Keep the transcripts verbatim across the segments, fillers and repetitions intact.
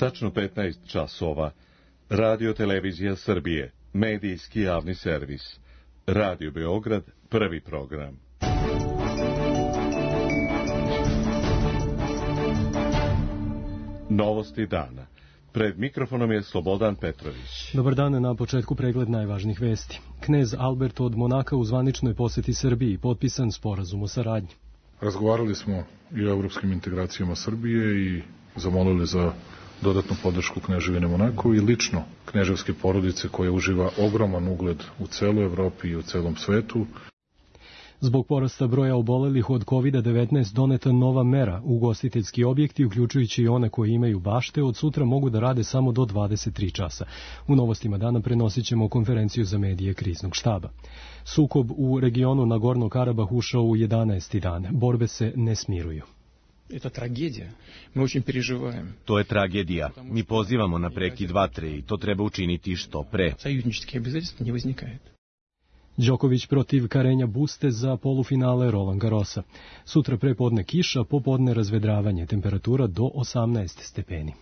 Tačno petnaest časova. Radio Televizija Srbije, medijski javni servis. Radio Beograd, prvi program. Novosti dana. Pred mikrofonom je Slobodan Petrović. Dobar dan, na početku pregled najvažnijih vesti. Knez Albert od Monaka u zvaničnoj poseti Srbiji, potpisan sporazum o saradnji. Razgovarali smo i o evropskim integracijama Srbije i zamolili za dodatnu podršku Kneževine Monako i lično kneževske porodice koja uživa ogroman ugled u celoj Evropi i u celom svetu. Zbog porasta broja obolelih od kovid devetnaest doneta nova mera. Ugostiteljski objekti, uključujući i one koji imaju bašte, od sutra mogu da rade samo do dvadeset tri časa. U novostima dana prenosit ćemo konferenciju za medije kriznog štaba. Sukob u regionu Nagorno Karabah ušao u jedanaesti dan. Borbe se ne smiruju. Это трагедия. Мы очень переживаем. To je tragedija. Mi pozivamo na prekid vatre i to treba učiniti što pre. Союзнические обязательства не возникает. Đoković protiv Karenja Buste za polufinale Roland Garrosa. Sutra prepodne kiša, popodne razvedravanje, temperatura do osamnaest stepeni.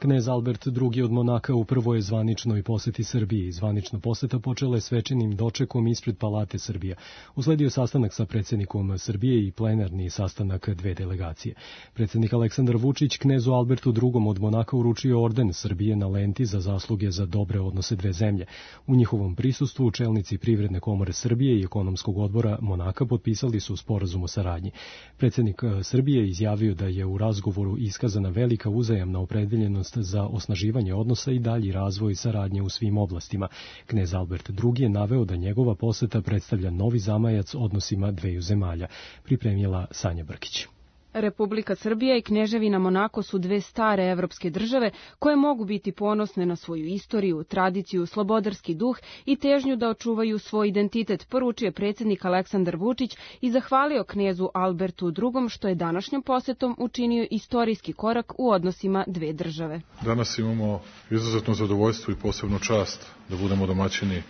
Knez Albert drugi od Monaka u prvoj zvaničnoj poseti Srbiji. Zvanična poseta počela je svečanim dočekom ispred Palate Srbija. Usledio sastanak sa predsjednikom Srbije i plenarni sastanak dve delegacije. Predsjednik Aleksandar Vučić knezu Albertu drugom od Monaka uručio orden Srbije na lenti za zasluge za dobre odnose dve zemlje. U njihovom prisustvu čelnici Privredne komore Srbije i Ekonomskog odbora Monaka potpisali su sporazum o saradnji. Predsjednik Srbije izjavio da je u razgovoru iskazana velika uzajamna opredeljenost za osnaživanje odnosa i dalji razvoj saradnje u svim oblastima. Knez Albert drugi je naveo da njegova poseta predstavlja novi zamajac odnosima dveju zemalja, pripremila Sanja Brkić. Republika Srbija i Kneževina Monako su dve stare evropske države koje mogu biti ponosne na svoju istoriju, tradiciju, slobodarski duh i težnju da očuvaju svoj identitet, poručio predsjednik Aleksandar Vučić i zahvalio knezu Albertu drugom što je današnjom posetom učinio istorijski korak u odnosima dve države. Danas imamo izuzetno zadovoljstvo i posebnu čast da budemo domaćini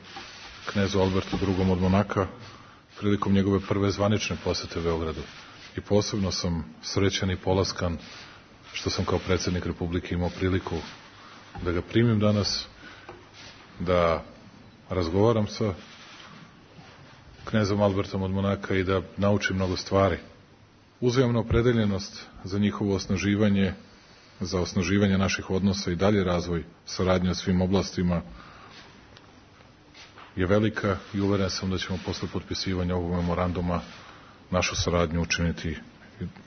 knezu Albertu drugom od Monaka prilikom njegove prve zvanične posete Beogradu. I posebno sam srećan i polaskan što sam kao predsjednik Republike imao priliku da ga primim danas, da razgovaram sa knezom Albertom od Monaka i da naučim mnogo stvari. Uzajamna opredeljenost za njihovo osnaživanje, za osnaživanje naših odnosa i dalje razvoj saradnje u svim oblastima je velika i uveren sam da ćemo posle potpisivanja ovog memoranduma našu saradnju učiniti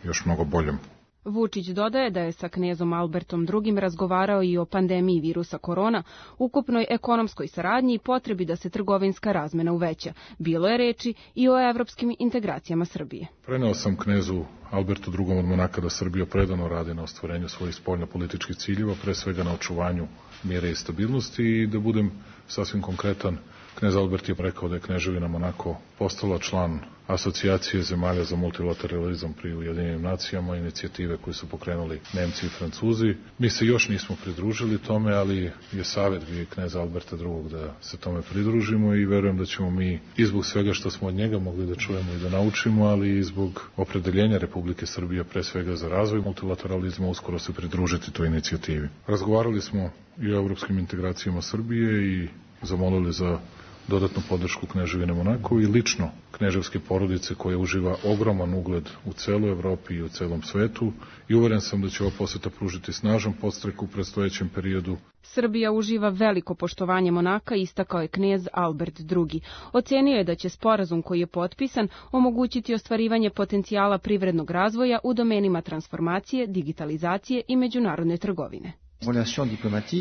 još mnogo boljom. Vučić dodaje da je sa knezom Albertom drugim razgovarao i o pandemiji virusa korona, ukupnoj ekonomskoj saradnji i potrebi da se trgovinska razmena uveća. Bilo je reči i o evropskim integracijama Srbije. Preneo sam knezu Albertu drugom od Monaka da Srbija predano radi na ostvarenju svojih spoljno-političkih ciljeva, pre svega na očuvanju mira i stabilnosti i da budem sasvim konkretan. Knez Albert je rekao da je Kneževina Monako postala član asocijacije zemalja za multilateralizam pri Ujedinjenim nacijama, inicijative koje su pokrenuli Nemci i Francuzi. Mi se još nismo pridružili tome, ali je savjet bio i kneza Alberta drugog da se tome pridružimo i verujem da ćemo mi i zbog svega što smo od njega mogli da čujemo i da naučimo, ali i zbog opredeljenja Republike Srbije pre svega za razvoj multilateralizma uskoro se pridružiti toj inicijativi. Razgovarali smo i o evropskim integracijama Srbije i zamolili za dodatnu podršku Kneževine Monako i lično kneževske porodice koja uživa ogroman ugled u celoj Evropi i u celom svetu i uveren sam da će ova poseta pružiti snažan podstrek u predstojećem periodu. Srbija uživa veliko poštovanje Monaka, istakao je knez Albert drugi. Ocenio je da će sporazum koji je potpisan omogućiti ostvarivanje potencijala privrednog razvoja u domenima transformacije, digitalizacije i međunarodne trgovine.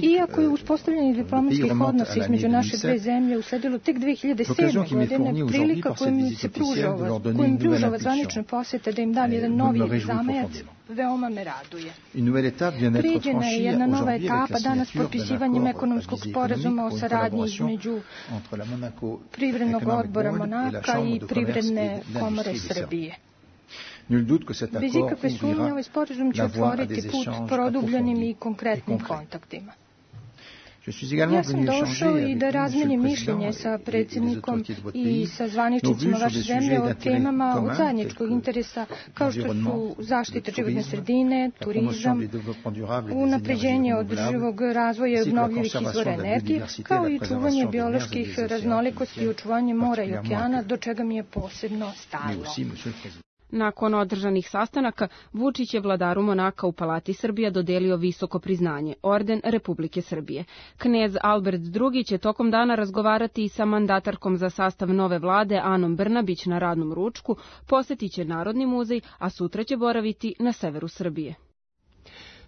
Iako je uspostavljanje diplomatskih odnosa između naše dve zemlje usledilo tek dve hiljade sedme. godine, prilika kojim se pruža kojim pruža ova zvanična poseta da im dam jedan novi zamajac, veoma me raduje. Prijeđena je jedna nova etapa danas potpisivanjem ekonomskog sporazuma o saradnji između Privrednog odbora Monaka i Privredne komore Srbije. Bez ikakve sumnje ovaj sporazum će otvoriti put produbljenim i konkretnim kontaktima. Ja sam došao i da razmenim mišljenje sa predsjednikom i sa zvaničnicima vaše zemlje o temama od zajedničkog interesa kao što su zaštita životne sredine, turizam, unapređenje održivog razvoja i obnovljivih izvora energije, kao i čuvanje bioloških raznolikosti i očuvanje mora i okeana, do čega mi je posebno stalo. Nakon održanih sastanaka, Vučić je vladaru Monaka u Palati Srbija dodelio visoko priznanje, orden Republike Srbije. Knez Albert drugi će tokom dana razgovarati i sa mandatarkom za sastav nove vlade Anom Brnabić na radnom ručku, posjetit će Narodni muzej, a sutra će boraviti na severu Srbije.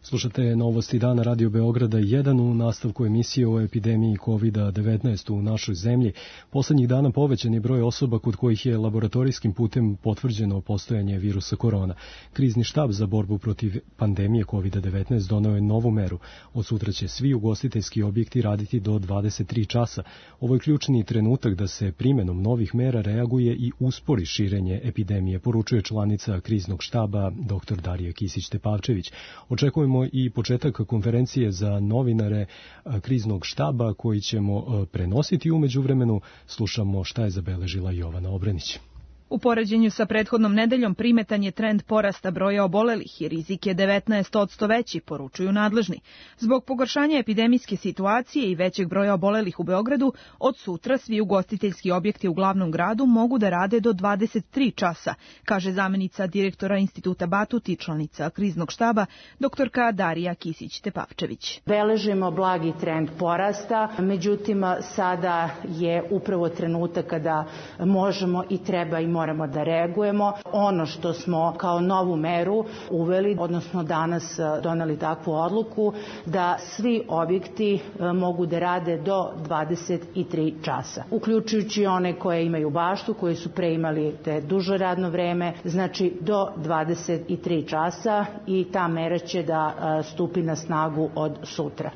Slušate novosti dana Radio Beograda jedan u nastavku emisije o epidemiji kovid devetnaest u našoj zemlji. Poslednjih dana povećan je broj osoba kod kojih je laboratorijskim putem potvrđeno postojanje virusa korona. Krizni štab za borbu protiv pandemije kovid devetnaest doneo je novu meru. Od sutra će svi ugostiteljski objekti raditi do dvadeset tri časa. Ovo je ključni trenutak da se primenom novih mera reaguje i uspori širenje epidemije, poručuje članica kriznog štaba dr Darija Kisić-Tepavčević. Očekujemo i početak konferencije za novinare kriznog štaba koji ćemo prenositi. U međuvremenu slušamo šta je zabeležila Jovana Obrenić. U poređenju sa prethodnom nedeljom primetan je trend porasta broja obolelih i rizik je devetnaest posto veći, poručuju nadležni. Zbog pogoršanja epidemijske situacije i većeg broja obolelih u Beogradu, od sutra svi ugostiteljski objekti u glavnom gradu mogu da rade do dvadeset tri časa, kaže zamenica direktora Instituta Batut i članica kriznog štaba, doktorka Darija Kisić-Tepavčević. Beležimo blagi trend porasta, međutim sada je upravo trenutak kada možemo i treba i moramo da reagujemo. Ono što smo kao novu meru uveli, odnosno danas doneli takvu odluku, da svi objekti mogu da rade do dvadeset tri časa. Uključujući one koje imaju baštu, koji su pre imali te duže radno vreme, znači do dvadeset tri časa i ta mera će da stupi na snagu od sutra.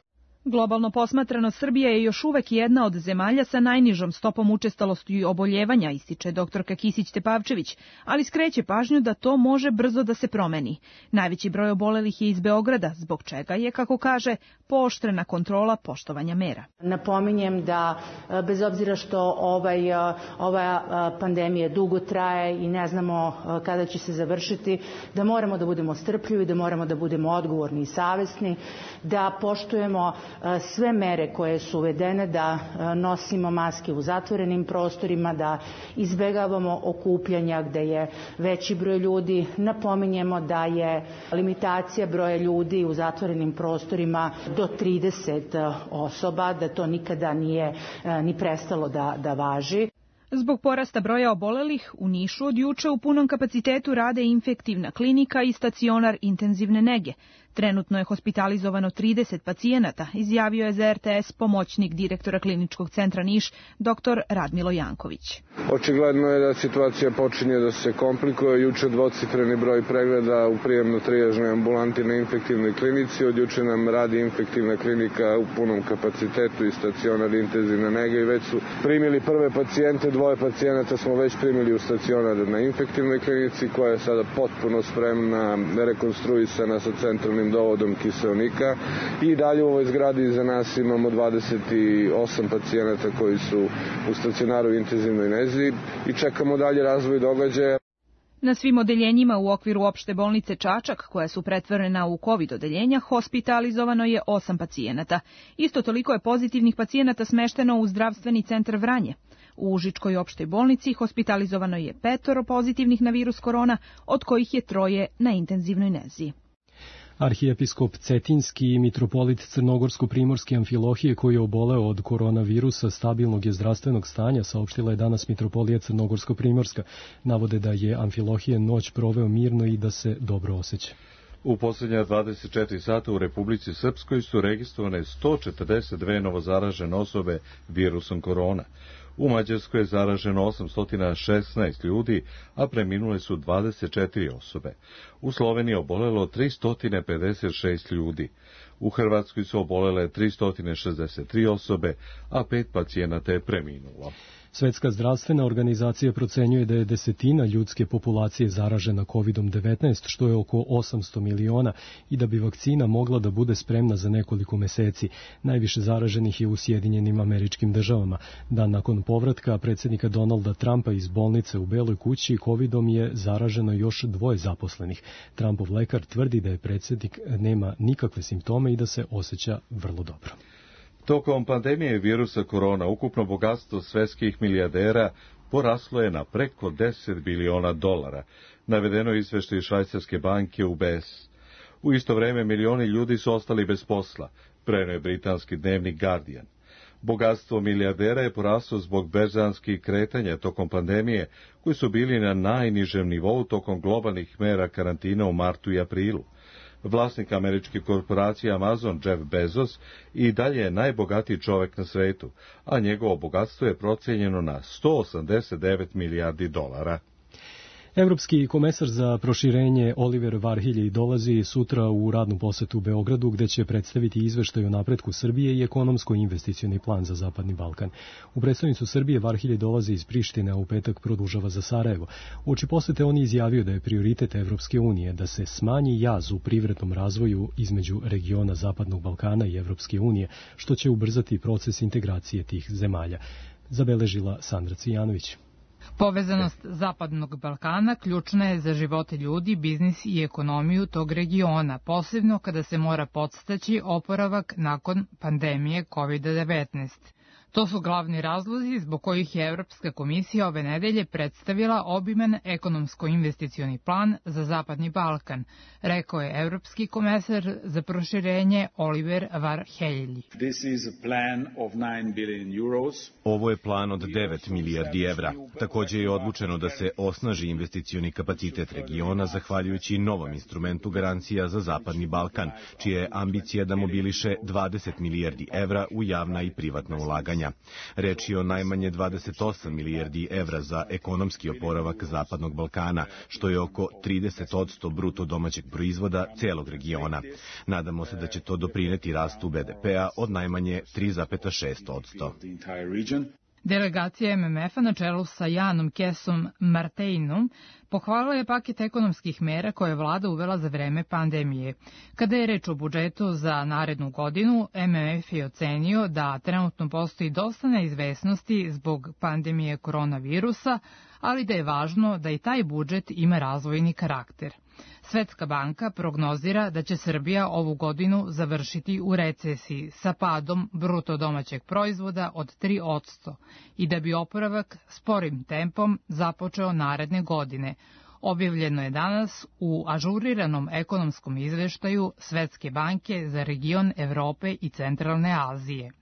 Globalno posmatrano, Srbija je još uvek jedna od zemalja sa najnižom stopom učestalosti i oboljevanja, ističe doktorka Kisić-Tepavčević, ali skreće pažnju da to može brzo da se promeni. Najveći broj obolelih je iz Beograda, zbog čega je, kako kaže, pooštrena kontrola poštovanja mera. Napominjem da bez obzira što ovaj, ova pandemija dugo traje i ne znamo kada će se završiti, da moramo da budemo strpljivi, da moramo da budemo odgovorni i savesni, da poštujemo sve mere koje su uvedene, da nosimo maske u zatvorenim prostorima, da izbegavamo okupljanja gde je veći broj ljudi. Napominjemo da je limitacija broja ljudi u zatvorenim prostorima do trideset osoba, da to nikada nije ni prestalo da, da važi. Zbog porasta broja obolelih, u Nišu od juče u punom kapacitetu rade infektivna klinika i stacionar intenzivne nege. Trenutno je hospitalizovano trideset pacijenata, izjavio je za er te es pomoćnik direktora kliničkog centra Niš, dr Radmilo Janković. Očigledno je da situacija počinje da se komplikuje. Juče dvocifreni broj pregleda u prijemno-trijažnoj ambulanti na infektivnoj klinici. Od juče nam radi infektivna klinika u punom kapacitetu i stacionar intenzivne nege i već su primili prve pacijente. Dvoje pacijenata smo već primili u stacionar na infektivnoj klinici koja je sada potpuno spremna, rekonstruisana sa centralnim dovodom kiseonika i dalje u ovoj zgradi iza nas imamo dvadeset osam pacijenata koji su u stacionaru intenzivnoj nezi i čekamo dalje razvoj događaja. Na svim odeljenjima u okviru opšte bolnice Čačak, koja su pretvorena u COVID odeljenja, hospitalizovano je osam pacijenata. Isto toliko je pozitivnih pacijenata smešteno u zdravstveni centar Vranje. U Užičkoj opštoj bolnici hospitalizovano je petoro pozitivnih na virus korona, od kojih je troje na intenzivnoj nezi. Arhijepiskop Cetinski i mitropolit Crnogorsko-Primorske Amfilohije koji je oboleo od koronavirusa stabilnog je zdravstvenog stanja, saopštila je danas mitropolija Crnogorsko-Primorska. Navode da je Amfilohije noć proveo mirno i da se dobro osjeća. U posljednja dvadeset četiri sata u Republici Srpskoj su registrovane sto četrdeset dve novozaražene osobe virusom korona. U Mađarskoj je zaraženo osamsto šesnaest ljudi, a preminule su dvadeset četiri osobe. U Sloveniji je obolelo tristo pedeset šest ljudi. U Hrvatskoj su obolele tristo šezdeset tri osobe, a pet pacijenata je preminulo. Svetska zdravstvena organizacija procenjuje da je desetina ljudske populacije zaražena kovidom devetnaest, što je oko osamsto miliona, i da bi vakcina mogla da bude spremna za nekoliko meseci. Najviše zaraženih je u Sjedinjenim Američkim Državama. Dan nakon povratka predsjednika Donalda Trumpa iz bolnice u Beloj kući, kovidom je zaraženo još dvoje zaposlenih. Trumpov lekar tvrdi da je predsjednik nema nikakve simptome i da se osjeća vrlo dobro. Tokom pandemije virusa korona ukupno bogatstvo svetskih milijardera poraslo je na preko deset biliona dolara, navedeno izveštaju švajcarske banke U B S. U isto vreme milioni ljudi su ostali bez posla, preneo je britanski dnevnik Guardian. Bogatstvo milijardera je poraslo zbog berzanskih kretanja tokom pandemije, koji su bili na najnižem nivou tokom globalnih mera karantina u martu i aprilu. Vlasnik američke korporacije Amazon, Jeff Bezos, i dalje je najbogatiji čovek na svetu, a njegovo bogatstvo je procenjeno na sto osamdeset devet milijardi dolara. Evropski komesar za proširenje Oliver Varhelyi dolazi sutra u radnu posetu u Beogradu, gde će predstaviti izveštaj o napretku Srbije i ekonomsko-investicioni plan za Zapadni Balkan. U predstavnicu Srbije Varhelyi dolazi iz Prištine, a u petak produžava za Sarajevo. Uoči posete on je izjavio da je prioritet Evropske unije da se smanji jaz u privrednom razvoju između regiona Zapadnog Balkana i Evropske unije, što će ubrzati proces integracije tih zemalja. Zabeležila Sandra Cijanović. Povezanost Zapadnog Balkana ključna je za živote ljudi, biznis i ekonomiju tog regiona, posebno kada se mora podstaći oporavak nakon pandemije kovid devetnaest. To su glavni razlozi zbog kojih je Evropska komisija ove nedelje predstavila obiman ekonomsko-investicioni plan za Zapadni Balkan, rekao je Evropski komesar za proširenje Oliver Varhelyi. Ovo je plan od devet milijardi evra. Također je odlučeno da se osnaži investicioni kapacitet regiona zahvaljujući novom instrumentu garancija za Zapadni Balkan, čija je ambicija da mobiliše dvadeset milijardi evra u javna i privatna ulaganja. Reč je o najmanje dvadeset osam milijardi evra za ekonomski oporavak Zapadnog Balkana, što je oko trideset posto bruto domaćeg proizvoda celog regiona. Nadamo se da će to doprineti rastu B D P-a od najmanje tri zarez šest posto. Delegacija M M F-a na čelu sa Janom Kesom Marteinom pohvalila je paket ekonomskih mera koje je vlada uvela za vreme pandemije. Kada je reč o budžetu za narednu godinu, M M F je ocenio da trenutno postoji dosta neizvesnosti zbog pandemije koronavirusa, ali da je važno da i taj budžet ima razvojni karakter. Svetska banka prognozira da će Srbija ovu godinu završiti u recesiji sa padom bruto domaćeg proizvoda od tri posto i da bi oporavak sporim tempom započeo naredne godine. Objavljeno je danas u ažuriranom ekonomskom izveštaju Svetske banke za region Evrope i Centralne Azije.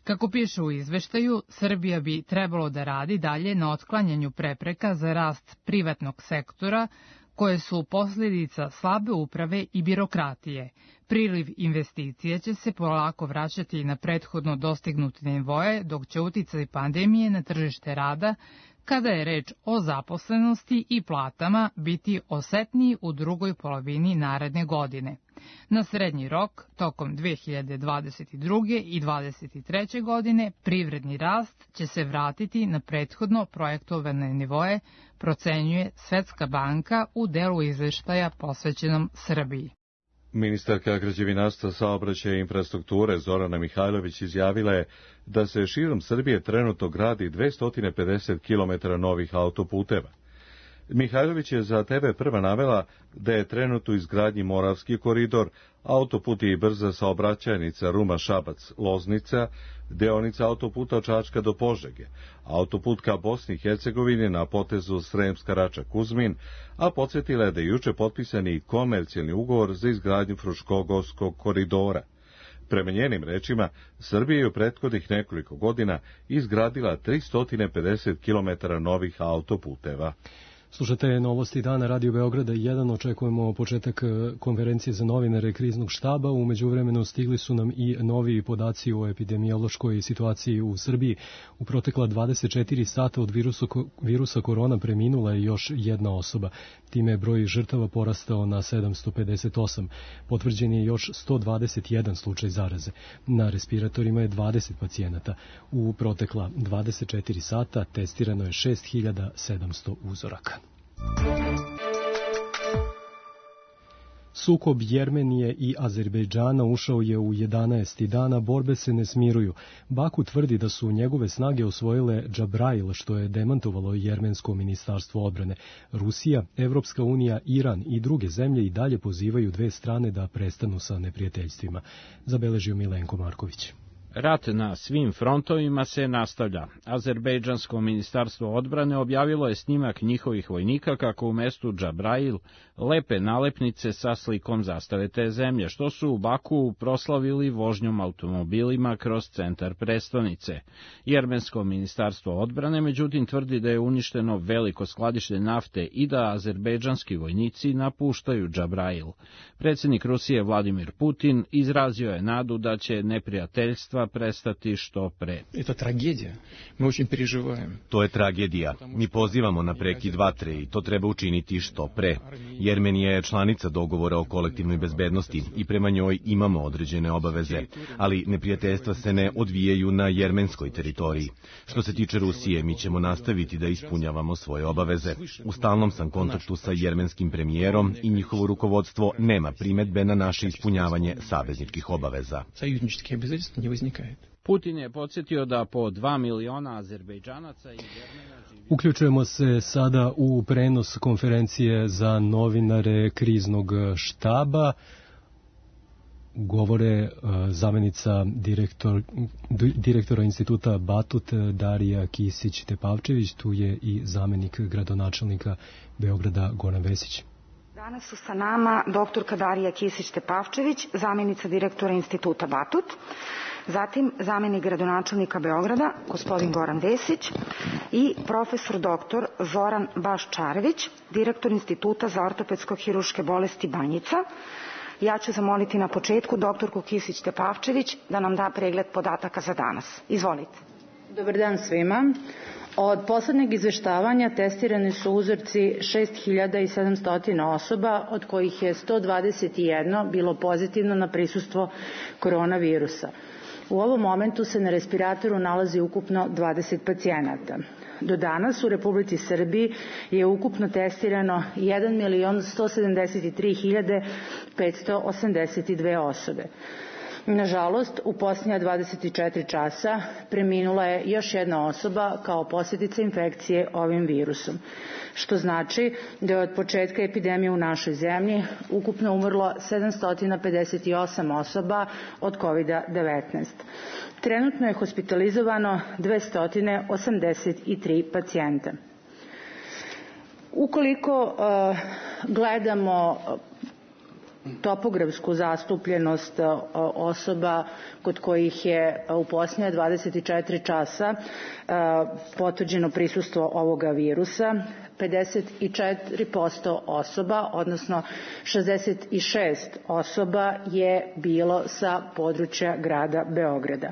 Kako piše u izveštaju, Srbija bi trebalo da radi dalje na otklanjanju prepreka za rast privatnog sektora, koje su posljedica slabe uprave i birokratije. Priliv investicija će se polako vraćati na prethodno dostignute nivoe, dok će uticaj pandemije na tržište rada, kada je reč o zaposlenosti i platama, biti osetniji u drugoj polovini naredne godine. Na srednji rok, tokom dve hiljade dvadeset druge. i dvadeset treće. godine, privredni rast će se vratiti na prethodno projektovane nivoe, procenjuje Svetska banka u delu izveštaja posvećenom Srbiji. Ministarka građevinarstva, saobraćaja i infrastrukture Zorana Mihajlović izjavila je da se širom Srbije trenutno gradi dvesta pedeset kilometara novih autoputeva. Mihajlović je za T V prva navela da je trenutno u izgradnji Moravski koridor, autoput i brza saobraćajnica Ruma-Šabac-Loznica, deonica autoputa od Čačka do Požege, autoput ka Bosni i Hercegovini na potezu Sremska Rača-Kuzmin, a podsjetila je da je juče potpisani komercijalni ugovor za izgradnju Fruškogorskog koridora. Prema njenim rečima, Srbija je u prethodnih nekoliko godina izgradila tristo pedeset kilometara novih autoputeva. Slušate novosti dana Radio Beograda jedan, očekujemo početak konferencije za novinare kriznog štaba. U međuvremenu stigli su nam i novi podaci o epidemiološkoj situaciji u Srbiji. U protekla dvadeset četiri sata od virusa, virusa korona preminula je još jedna osoba. Time je broj žrtava porastao na sedamsto pedeset osam. Potvrđen je još sto dvadeset jedan slučaj zaraze. Na respiratorima je dvadeset pacijenata. U protekla dvadeset četiri sata testirano je šest hiljada sedamsto uzoraka. Sukob Jermenije i Azerbejdžana ušao je u jedanaesti dana, borbe se ne smiruju. Baku tvrdi da su njegove snage osvojile Džabrail, što je demantovalo Jermensko ministarstvo odbrane. Rusija, Evropska unija, Iran i druge zemlje i dalje pozivaju dve strane da prestanu sa neprijateljstvima. Zabeležio Milenko Marković. Rat na svim frontovima se nastavlja. Azerbejdžansko ministarstvo odbrane objavilo je snimak njihovih vojnika kako u mestu Džabrail lepe nalepnice sa slikom zastave te zemlje, što su u Baku proslavili vožnjom automobilima kroz centar prestonice. Jermensko ministarstvo odbrane međutim tvrdi da je uništeno veliko skladište nafte i da azerbejdžanski vojnici napuštaju Džabrail. Predsjednik Rusije Vladimir Putin izrazio je nadu da će neprijateljstva prestati što pre. To je tragedija. Mi очень переживаем. To je tragedija. Mi pozivamo na prekid vatre i to treba učiniti što pre. Jermenija je članica dogovora o kolektivnoj bezbednosti i prema njoj imamo određene obaveze, ali neprijateljstva se ne odvijaju na jermenskoj teritoriji. Što se tiče Rusije, mi ćemo nastaviti da ispunjavamo svoje obaveze. U stalnom sam kontaktu sa jermenskim premijerom i njihovo rukovodstvo nema primetbe na naše ispunjavanje savezničkih obaveza. Putin je podsjetio da po dva miliona Azerbejdžanaca i Jermena živi... Uključujemo se sada u prenos konferencije za novinare kriznog štaba. Govore zamenica direktor, direktora instituta Batut Darija Kisić-Tepavčević, tu je i zamenik gradonačelnika Beograda Goran Vesić. Danas su sa nama doktorka Darija Kisić-Tepavčević, zamjenica direktora instituta Batut, zatim zamenik gradonačelnika Beograda, gospodin Goran Vesić i profesor doktor Zoran Baščarević, direktor instituta za ortopedsko-hiruške bolesti Banjica. Ja ću zamoliti na početku doktorku Kisić-Tepavčević da nam da pregled podataka za danas. Izvolite. Dobar dan svima. Od poslednjeg izveštavanja testirani su uzorci šest hiljada sedamsto osoba, od kojih je sto dvadeset jedno bilo pozitivno na prisustvo koronavirusa. U ovom momentu se na respiratoru nalazi ukupno dvadeset pacijenata. Do danas u Republici Srbiji je ukupno testirano jedan milion sto sedamdeset tri hiljade petsto osamdeset dve osobe. Nažalost, u posljednja dvadeset četiri časa preminula je još jedna osoba kao posljedica infekcije ovim virusom, što znači da je od početka epidemije u našoj zemlji ukupno umrlo sedamsto pedeset osam osoba od kovid devetnaest. Trenutno je hospitalizovano dvesta osamdeset tri pacijenta. Ukoliko uh, gledamo topografsku zastupljenost osoba kod kojih je u posljednja dvadeset četiri časa potvrđeno prisustvo ovoga virusa, pedeset četiri posto osoba, odnosno šezdeset šest osoba je bilo sa područja grada Beograda.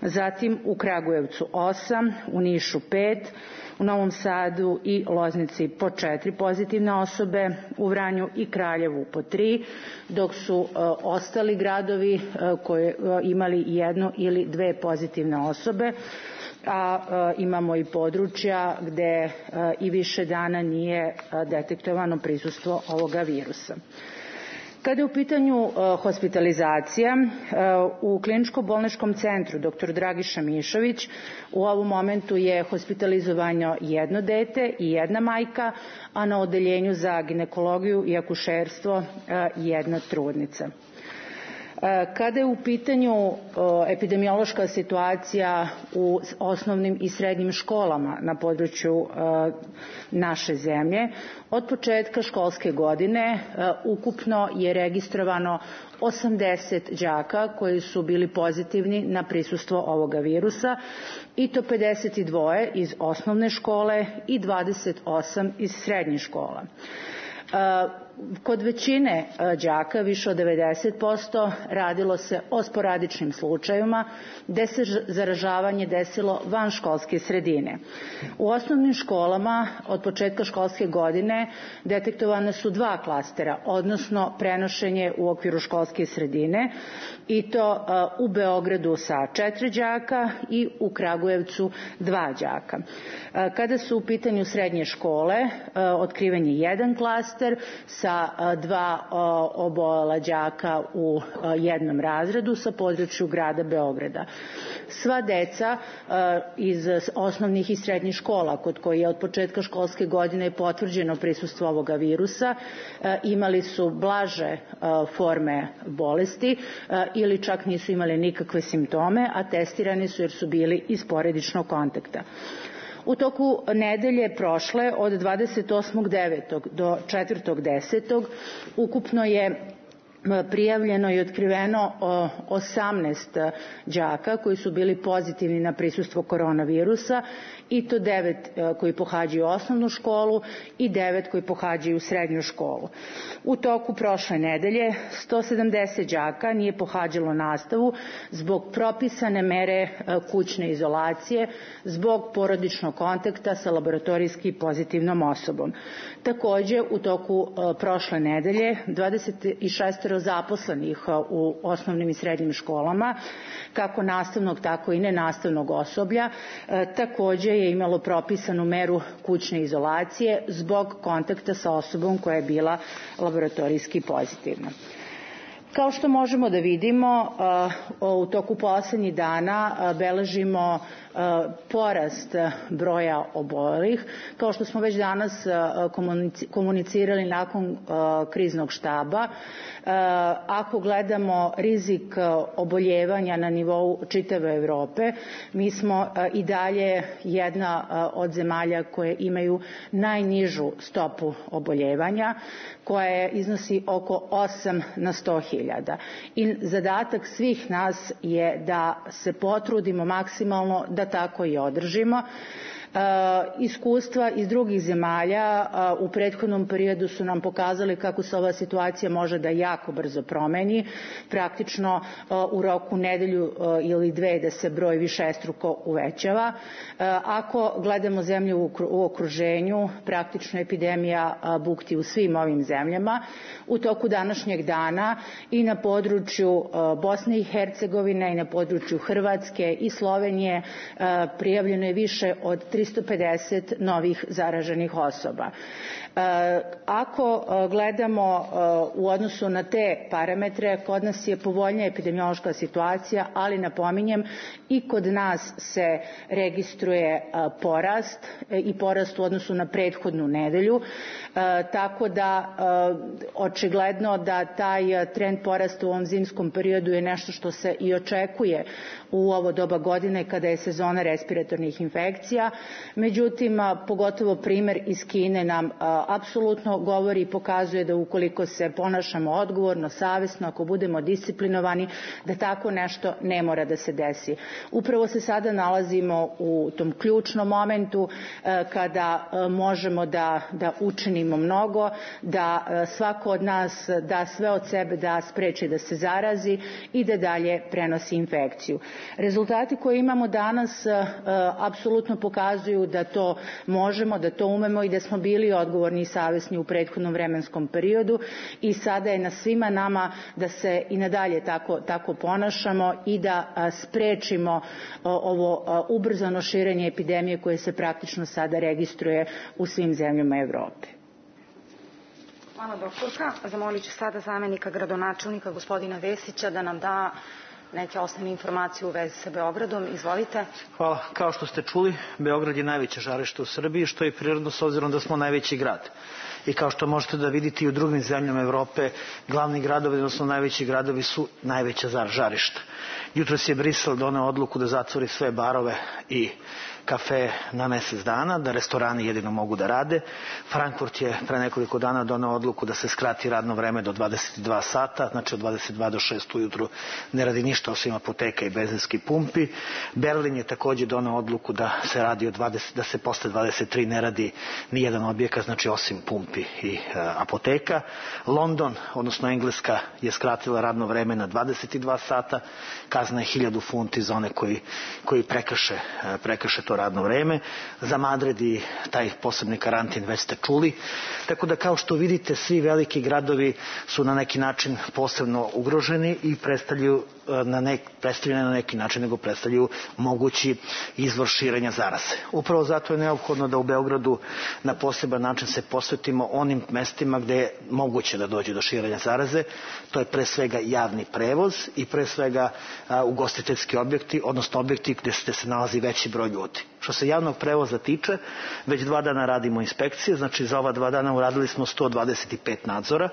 Zatim u Kragujevcu osam, u Nišu pet, u Novom Sadu i Loznici po četiri pozitivne osobe, u Vranju i Kraljevu po tri, dok su uh, ostali gradovi uh, koji uh, imali jednu ili dve pozitivne osobe, a uh, imamo i područja gde uh, i više dana nije uh, detektovano prisustvo ovoga virusa. Kada je u pitanju uh, hospitalizacija, uh, u kliničko-bolničkom centru dr Dragiša Mišović u ovom momentu je hospitalizovano jedno dete i jedna majka, a na odeljenju za ginekologiju i akušerstvo uh, jedna trudnica. Kada je u pitanju epidemiološka situacija u osnovnim i srednjim školama na području naše zemlje, od početka školske godine ukupno je registrovano osamdeset đaka koji su bili pozitivni na prisustvo ovoga virusa, i to pedeset dva iz osnovne škole i dvadeset osam iz srednjih škola. Kod većine đaka, više od devedeset posto, radilo se o sporadičnim slučajevima gde se zaražavanje desilo van školske sredine. U osnovnim školama od početka školske godine detektovane su dva klastera, odnosno prenošenje u okviru školske sredine, i to u Beogradu sa četiri đaka i u Kragujevcu dva đaka. Kada su u pitanju srednje škole, otkriven je jedan klaster sa dva obolela đaka u jednom razredu sa području grada Beograda. Sva deca iz osnovnih i srednjih škola kod koji je od početka školske godine potvrđeno prisustvo ovoga virusa imali su blaže forme bolesti ili čak nisu imali nikakve simptome, a testirani su jer su bili iz porodičnog kontakta. U toku nedelje prošle od dvadeset osmog devetog do četvrtog desetog ukupno je prijavljeno i otkriveno osamnaest đaka koji su bili pozitivni na prisustvo koronavirusa, i to devet koji pohađaju osnovnu školu i devet koji pohađaju srednju školu. U toku prošle nedelje sto sedamdeset đaka nije pohađalo nastavu zbog propisane mere kućne izolacije, zbog porodičnog kontakta sa laboratorijski pozitivnom osobom. Takođe, u toku prošle nedelje dvadeset šest zaposlenih u osnovnim i srednjim školama, kako nastavnog tako i nenastavnog osoblja, takođe je imalo propisanu meru kućne izolacije zbog kontakta sa osobom koja je bila laboratorijski pozitivna. Kao što možemo da vidimo, u toku poslednjih dana beležimo porast broja obolelih. Kao što smo već danas komunicirali nakon kriznog štaba, ako gledamo rizik oboljevanja na nivou čitave Evrope, mi smo i dalje jedna od zemalja koje imaju najnižu stopu oboljevanja, koja iznosi oko osam na sto hiljada. I zadatak svih nas je da se potrudimo maksimalno da tako i održimo. Iskustva iz drugih zemalja u prethodnom periodu su nam pokazali kako se ova situacija može da jako brzo promeni, praktično u roku nedelju ili dve da se broj višestruko uvećava. Ako gledamo zemlje u okruženju, praktično epidemija bukti u svim ovim zemljama. U toku današnjeg dana i na području Bosne i Hercegovine i na području Hrvatske i Slovenije prijavljeno je više od tristo pedeset novih zaraženih osoba. Ako gledamo u odnosu na te parametre, kod nas je povoljnija epidemiološka situacija, ali napominjem i kod nas se registruje porast i porast u odnosu na prethodnu nedelju, tako da očigledno da taj trend porasta u ovom zimskom periodu je nešto što se i očekuje u ovo doba godine kada je sezona respiratornih infekcija. Međutim, pogotovo primer iz Kine nam apsolutno govori i pokazuje da ukoliko se ponašamo odgovorno, savesno, ako budemo disciplinovani, da tako nešto ne mora da se desi. Upravo se sada nalazimo u tom ključnom momentu kada možemo da, da učinimo mnogo, da svako od nas da sve od sebe da spreči da se zarazi i da dalje prenosi infekciju. Rezultati koje imamo danas apsolutno pokazuju da to možemo, da to umemo i da smo bili odgovorni i savesni u prethodnom vremenskom periodu, i sada je na svima nama da se i nadalje tako, tako ponašamo i da sprečimo ovo ubrzano širenje epidemije koje se praktično sada registruje u svim zemljama Evrope. Hvala, doktorka. Zamolit ću sada zamenika gradonačelnika gospodina Vesića da nam da neke osnovne informacije u vezi sa Beogradom. Izvolite. Hvala. Kao što ste čuli, Beograd je najveće žarište u Srbiji, što je prirodno s obzirom da smo najveći grad. i kao što možete da vidite i u drugim zemljama Evrope, glavni gradovi, odnosno najveći gradovi su najveća žarišta. Jutros je Brisel doneo odluku da zatvori sve barove i kafe na mesec dana, da restorani jedino mogu da rade. Frankfurt je pre nekoliko dana doneo odluku da se skrati radno vreme do dvadeset dva sata, znači od dvadeset dva do šest ujutru ne radi ništa osim apoteka i benzinskih pumpi. Berlin je takođe doneo odluku da se radi od dvadeset, da se posle dvadeset tri ne radi ni jedan objekat, znači osim pumpi i e, apoteka. London, odnosno Engleska, je skratila radno vreme na dvadeset dva sata, kazna je hiljadu funti za one koji, koji prekrše, prekrše to radno vreme. Za Madrid i taj posebni karantin već ste čuli. Tako da kao što vidite, svi veliki gradovi su na neki način posebno ugroženi i predstavljaju na nek, predstavljaju na neki način, nego predstavljaju mogući izvor širenja zaraze. Upravo zato je neophodno da u Beogradu na poseban način se posvetimo onim mestima gde je moguće da dođe do širenja zaraze. To je pre svega javni prevoz i pre svega a, ugostiteljski objekti, odnosno objekti gde se, se nalazi veći broj ljudi. Što se javnog prevoza tiče, već dva dana radimo inspekcije, znači za ova dva dana uradili smo sto dvadeset pet nadzora,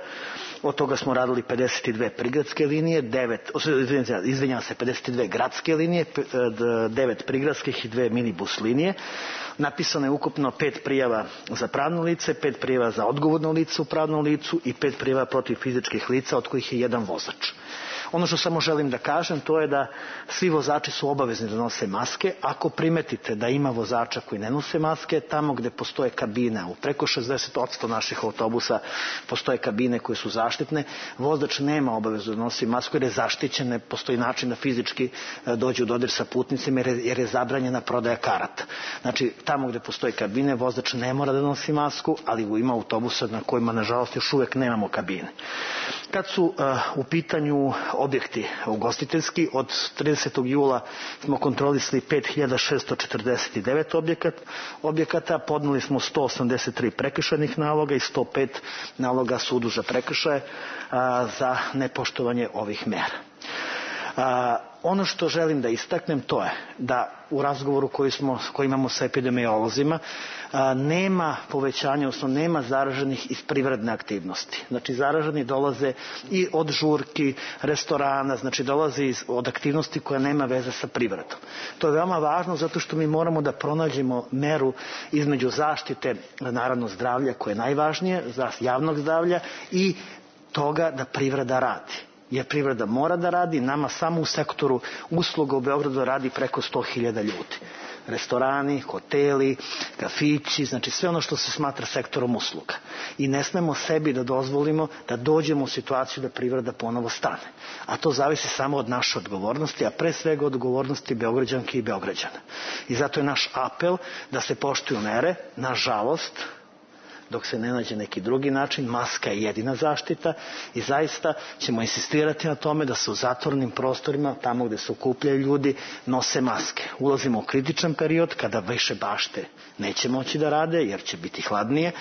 od toga smo radili pedeset dve prigradske linije, devet, izvinjavam se, pedeset dve gradske linije, devet prigradskih i dve minibus linije. Napisano je ukupno pet prijava za pravno lice, pet prijava za odgovorno lice u pravnom licu i pet prijava protiv fizičkih lica, od kojih je jedan vozač. Ono što samo želim da kažem, to je da svi vozači su obavezni da nose maske. Ako primetite da ima vozača koji ne nose maske, tamo gde postoje kabine, u preko šezdeset posto naših autobusa postoje kabine koje su zaštitne, vozač nema obavezu da nosi masku jer je zaštićen, ne postoji način da fizički dođe u dodir sa putnicima jer je, jer je zabranjena prodaja karata. Znači, tamo gde postoje kabine, vozač ne mora da nosi masku, ali ima autobusa na kojima, nažalost, još uvek nemamo kabine. Kad su uh, u pitanju objekti ugostiteljski, od tridesetog jula smo kontrolisali pet hiljada šesto četrdeset devet objekat, objekata, podneli smo sto osamdeset tri prekršajnih naloga i sto pet naloga sudu za prekršaje a, za nepoštovanje ovih mera. A, ono što želim da istaknem, to je da u razgovoru koji, smo, koji imamo sa epidemiolozima a, nema povećanja, odnosno nema zaraženih iz privredne aktivnosti. Znači zaraženi dolaze i od žurki, restorana, znači dolaze iz, od aktivnosti koja nema veze sa privredom. To je veoma važno zato što mi moramo da pronađemo meru između zaštite, naravno zdravlja koje je najvažnije, javnog zdravlja i toga da privreda radi. Jer privreda mora da radi, nama samo u sektoru usluga u Beogradu radi preko sto hiljada ljudi. Restorani, hoteli, kafići, znači sve ono što se smatra sektorom usluga. I ne smemo sebi da dozvolimo da dođemo u situaciju da privreda ponovo stane. A to zavisi samo od naše odgovornosti, a pre svega od odgovornosti Beograđanki i Beograđana. I zato je naš apel da se poštuju mere, nažalost, dok se ne nađe neki drugi način, maska je jedina zaštita i zaista ćemo insistirati na tome da se u zatvornim prostorima, tamo gde se okupljaju ljudi, nose maske. Ulazimo u kritičan period kada više bašte neće moći da rade jer će biti hladnije.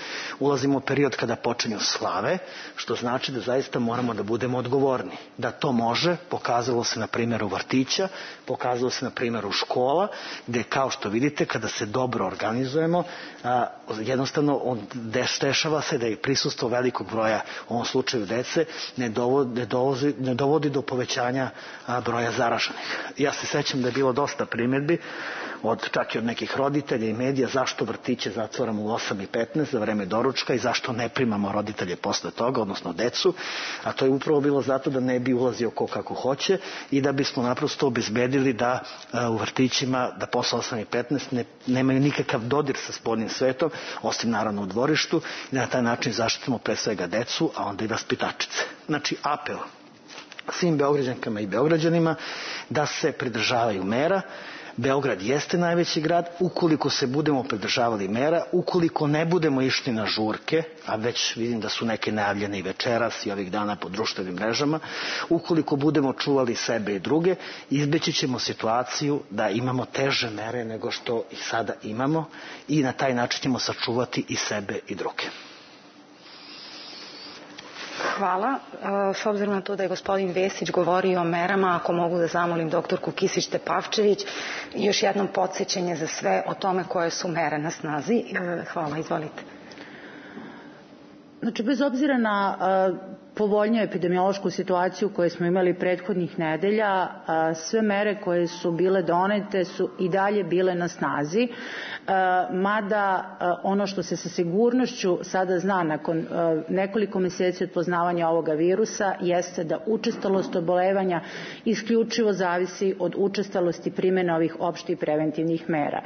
Ulazimo u period kada počinju slave, što znači da zaista moramo da budemo odgovorni. Da to može, pokazalo se na primjeru vrtića, pokazalo se na primjeru škola, gde kao što vidite, kada se dobro organizujemo, a, jednostavno on dešava se da je prisustvo velikog broja, u ovom slučaju dece, ne dovodi, ne dovodi, ne dovodi do povećanja a, broja zaraženih. Ja se sećam da je bilo dosta primjedbi, od, čak i od nekih roditelja i medija, zašto vrtiće zatvoramo u osam i petnaest za vreme doručka i zašto ne primamo roditelje posle toga, odnosno decu, a to je upravo bilo zato da ne bi ulazio ko kako hoće i da bismo naprosto obezbedili da a, u vrtićima, da posle osam i petnaest ne, nemaju nikakav dodir sa spoljnim svetom, osim naravno u dvorištu, i na taj način zaštitimo pre svega decu, a onda i vaspitačice. Znači, apel svim Beograđankama i Beograđanima da se pridržavaju mera. Beograd jeste najveći grad, ukoliko se budemo pridržavali mera, ukoliko ne budemo išli na žurke, a već vidim da su neke najavljene i večeras i ovih dana po društvenim mrežama, ukoliko budemo čuvali sebe i druge, izbeći ćemo situaciju da imamo teže mere nego što ih sada imamo i na taj način ćemo sačuvati i sebe i druge. Hvala. S obzirom na to da je gospodin Vesić govorio o merama, ako mogu da zamolim doktorku Kisić-Tepavčević, još jednom podsjećanje za sve o tome koje su mere na snazi. Hvala, izvolite. Znači, bez obzira na povoljniju epidemiološku situaciju koju smo imali prethodnih nedelja, sve mere koje su bile donete su i dalje bile na snazi, mada ono što se sa sigurnošću sada zna nakon nekoliko meseci od poznavanja ovoga virusa jeste da učestalost obolevanja isključivo zavisi od učestalosti primjene ovih opštih preventivnih mera.